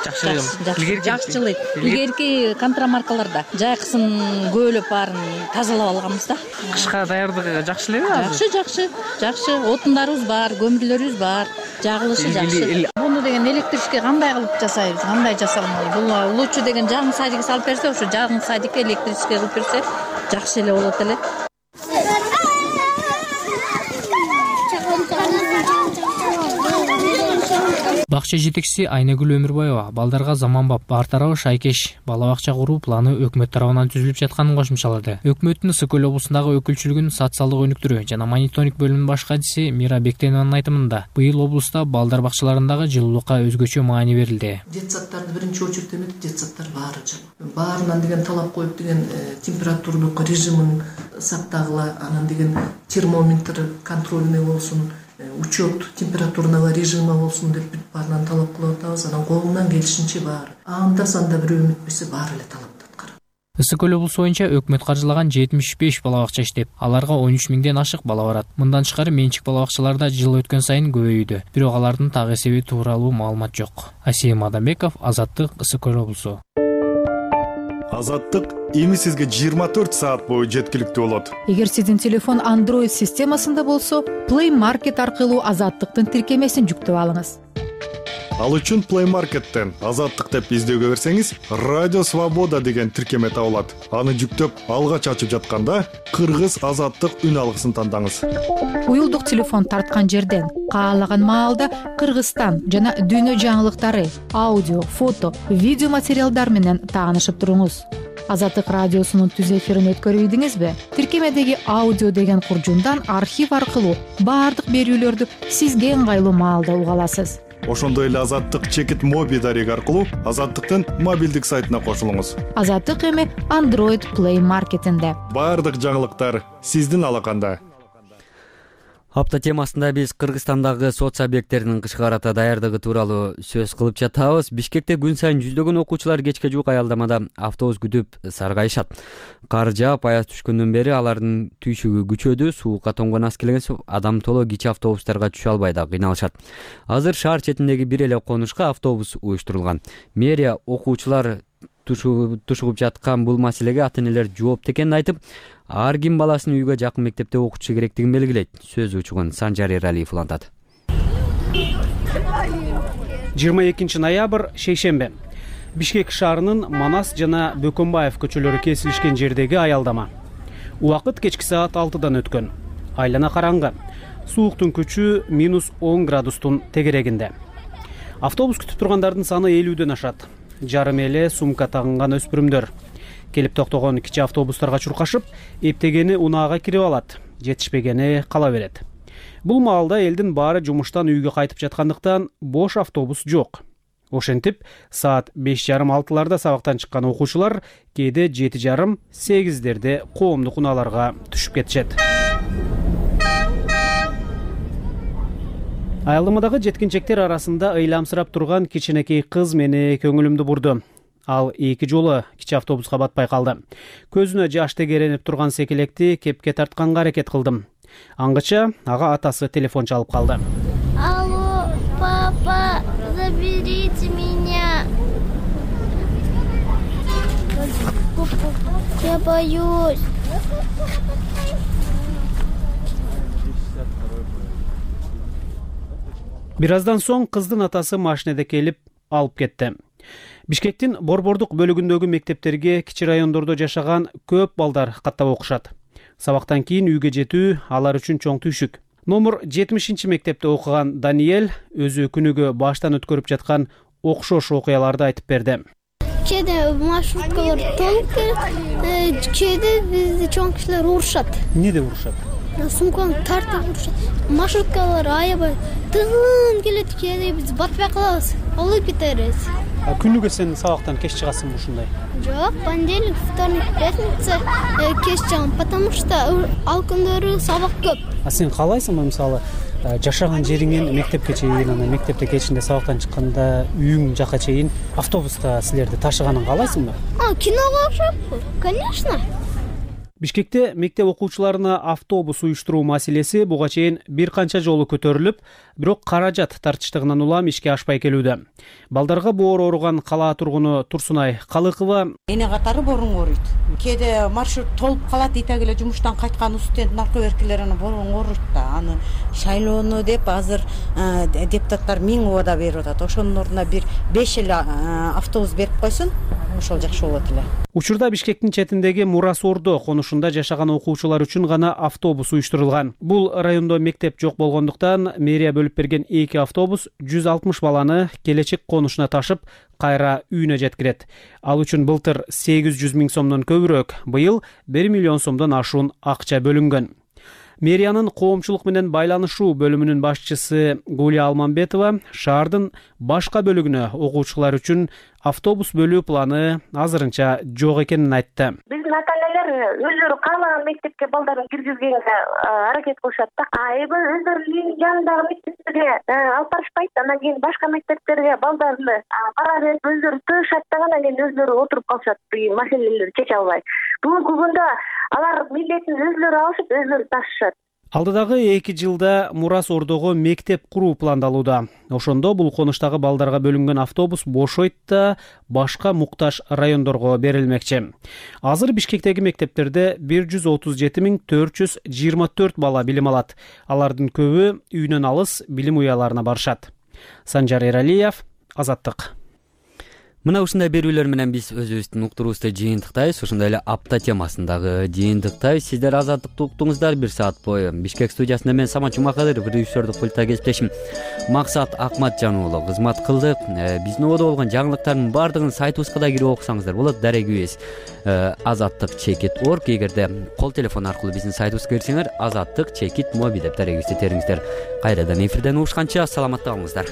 Жакшы. Жакшы жылыйт. Илгерки контрамаркаларда жайкысын көөлөп баарын тазалап алганбыз да. Кышка даярдыгы жакшы элеби азыр? Жакшы, жакшы, жакшы. Отундарыбыз бар, көмүрлөрүбүз бар, жагылышы жакшы. Буну деген электричке кандай кылып жасайбыз, кандай жасалмалы? Бул лучше деген жагым садик салып берсе, ошо жагым садикке электричке кылып берсе, жакшы эле болот эле. Бакча жетекчиси Айнагүл Өмүрбаева балдарга заманбап бар тарабы шайкеш бала бакча куруу планы өкмөт тарабынан түзүлүп жатканын кошумчалады. Өкмөттүн Ысык көл облусундагы өкүлчүлүгүнүн социалдык өнүктүрүү жана мониторинг бөлүмүнүн баш катчысы Мира Бектенованын айтымында, быйыл облуста балдар бакчаларындагы жылуулукка өзгөчө маани берилди. Детсадтарды биринчи очередь эмес, детсадтар баары жылуу. Баарынан деген талап коюп деген температурдук режимин сактагыла, анан деген термометр контрольный болсун, учет температурного режима болсун деп бүт баарынан талап кылып атабыз. Анан колунан келишинче баары. Анда санда бирөө үмүтпесе баары эле талапты аткарат. Ысык көл облусу боюнча өкмөт каржылаган жетимиш беш бала бакча иштеп, аларга он үч миңден ашык бала барат. Мындан тышкары менчик бала бакчаларда жыл өткөн сайын көбөйүүдө. Бирок алардын так эсеби тууралуу маалымат жок. Асей Маданбеков, Азаттык, Ысык көл облусу. Азаттык эми сизге жыйырма төрт саат бою жеткиликтүү болот. Эгер сиздин телефон Android системасында болсо, Play Market аркылуу Азаттыктын тиркемесин жүктөп алыңыз. Ал үчүн Play Market'тен Азаттык деп издөөгө берсеңиз, Радио Свобода деген тиркеме табылат. Аны жүктөп, алгач ачып жатканда Кыргыз Азаттык үн алгысын тандаңыз. Уюлдук телефон тарткан жерден каалаган маалда Кыргызстан жана дүйнө жаңылыктары, аудио, фото, видео материалдар менен таанышып туруңуз. Азаттык радиосунун түз эфирин өткөрүп ийдиңизби? Тиркемедеги аудио деген куржундан архив аркылуу баардык берүүлөрдү сизге ыңгайлуу маалда уга аласыз. Ошондой эле Азаттык чекит моби дареги аркылуу Азаттыктын мобилдик сайтына кошулуңуз. Азаттык эми Android Play Market'инде. Баардык жаңылыктар сиздин алаканда. Апта темасында биз Кыргызстандагы соц объекттеринин кышкы арата даярдыгы тууралуу сөз кылып жатабыз. Бишкекте күн сайын жүздөгөн окуучулар кечке жуук аялдамада автобус күтүп саргайышат. Кар жаап, аяз түшкөндөн бери алардын түйшүгү күчөдү, суукка тоңгон аз келген адам толо кичи автобустарга түшө албай да кыйналышат. Азыр шаар четиндеги бир эле конушка автобус уюштурулган. Мэрия окуучулар тушугуп жаткан бул маселеге ата-энелер жоопту экенин айтып, ар ким баласын үйгө жакын мектепте окутушу керектигин белгилейт. Сөз учугун Санжар Эралиев улантат. жыйырма экинчи ноябрь шейшембе. Бишкек шаарынын Манас жана Бөкөнбаев көчөлөрү кесилишкен жердеги аялдама. Убакыт кечки саат алтыдан өткөн. Айлана караңгы. Сууктун күчү минус он градустун тегерегинде. Автобус күтүп тургандардын саны элүүдөн ашат. Жарым эле сумка тагынган өспүрүмдөр. Келип токтогон кичи автобустарга чуркашып, эптегени унаага кирип алат, жетишпегени кала берет. Бул маалда элдин баары жумуштан үйгө кайтып жаткандыктан бош автобус жок. Ошентип, саат беш жарым алтыларда сабактан чыккан окуучулар кээде жети жарым сегиздерде коомдук унааларга түшүп кетишет. Аялдамадагы жеткинчектер арасында ыйламсырап турган кичинекей кыз мени көңүлүмдү бурду. Ал эки жолу кичи автобуска батпай калды. Көзүнө жаш тегеренип турган секелекти кепке тартканга аракет кылдым. Аңгыча ага атасы телефон чалып калды. Алло, папа, заберите меня. Я боюсь. Бир аздан соң кыздын атасы машинеде келип алып кетти. Бишкектин борбордук бөлүгүндөгү мектептерге кичи райондордо жашаган көп балдар каттап окушат. Сабактан кийин үйгө жетүү алар үчүн чоң түйшүк. Номер жетимишинчи мектепте окуган Даниэль өзү күнүгө баштан өткөрүп жаткан окшош окуяларды айтып берди. Кээде маршруткалар толуп келет, кээде бизди чоң кишилер урушат. Эмнеде урушат? Сумканы тартып урушат. Маршруткалар аябай тыгын келет, кээде биз батпай калабыз, алып кетебиз. Күнүгө сен сабактан кеч чыгасыңбы ушундай? Жок, понедельник, вторник, пятница кеч чыгам, потому что ал күндөрү сабак көп. А сен каалайсыңбы, мисалы, жашаган жериңен мектепке чейин, анан мектепте кечинде сабактан чыкканда үйүң жака чейин автобуста силерди ташыганын каалайсыңбы? А, киного окшоп, конечно. Бишкекте мектеп окуучуларына автобус уюштуруу маселеси буга чейин бир канча жолу көтөрүлүп, бирок каражат тартыштыгынан улам ишке ашпай келүүдө. Балдарга боор ооруган кала тургуну Турсунай Калыкова: эне катары борун ооруйт. Кээде маршрут толуп калат, итак эле жумуштан кайткан студент наркоберкелер аны борун ооруйт да. Аны шайлоону деп азыр депутаттар миң убада берип атат. Ошонун ордуна бир беш эле автобус берип койсун, ошол жакшы болот эле. Учурда Бишкектин четиндеги Мурасордо конушунда жашаган окуучулар үчүн гана автобус уюштурулган. Бул райондо мектеп жок болгондуктан мэрия бөлүп берген эки автобус жүз алтымыш баланы келечек конушуна ташып, кайра үйүнө жеткирет. Ал үчүн былтыр сегиз жүз миң сомдон көбүрөөк, быйыл бир миллион сомдон ашуун акча бөлүнгөн. Мэриянын коомчулук менен байланышуу бөлүмүнүн башчысы Гулия Алмамбетова шаардын башка бөлүгүнө окуучулар үчүн автобус бөлүү планы азырынча жок экенин айтты. Биздин ата-энелер өзүлөрү каалаган мектепке балдарын киргизгенге аракет кылышат да. А эми өздөрүнүн жанындагы мектептерге алып барышпайт. Анан кийин башка мектептерге балдарды бара берип өздөрү тыгышат да, анан кийин өздөрү отуруп калышат, маселелерди чече албай. Бүгүнкү күндө алар милдетин өзүлөрү алышып, өзүлөрү ташышат. Алдыдагы эки жылда Мурас Ордого мектеп куруу пландалууда. Ошондо бул конуштагы балдарга бөлүнгөн автобус бошойт да башка муктаж райондорго берилмекчи. Азыр Бишкектеги мектептерде бир жүз отуз жети миң төрт жүз жыйырма төрт бала билим алат. Алардын көбү үйүнөн алыс билим уяларына барышат. Санжар Эралиев, Азаттык. Мына ушундай берүүлөр менен биз өзүбүздүн уктуруубузду жыйынтыктайбыз. Ошондой эле апта темасындагы жыйынтыктайбыз. Сиздер Азаттыкты уктуңуздар бир саат бою. Бишкек студиясында мен Самат Жумакадыров, режиссердук пульта кесиптешим Максат Акматжан уулу кызмат кылдык. Биздин ободо болгон жаңылыктардын баардыгын сайтыбызга да кирип окусаңыздар болот. Дарегибиз азаттык чекит орг. Эгерде кол телефон аркылуу биздин сайтыбызга кирсеңер, азаттык чекит моби деп дарегибизди териңиздер. Кайрадан эфирден угушканча саламатта болуңуздар.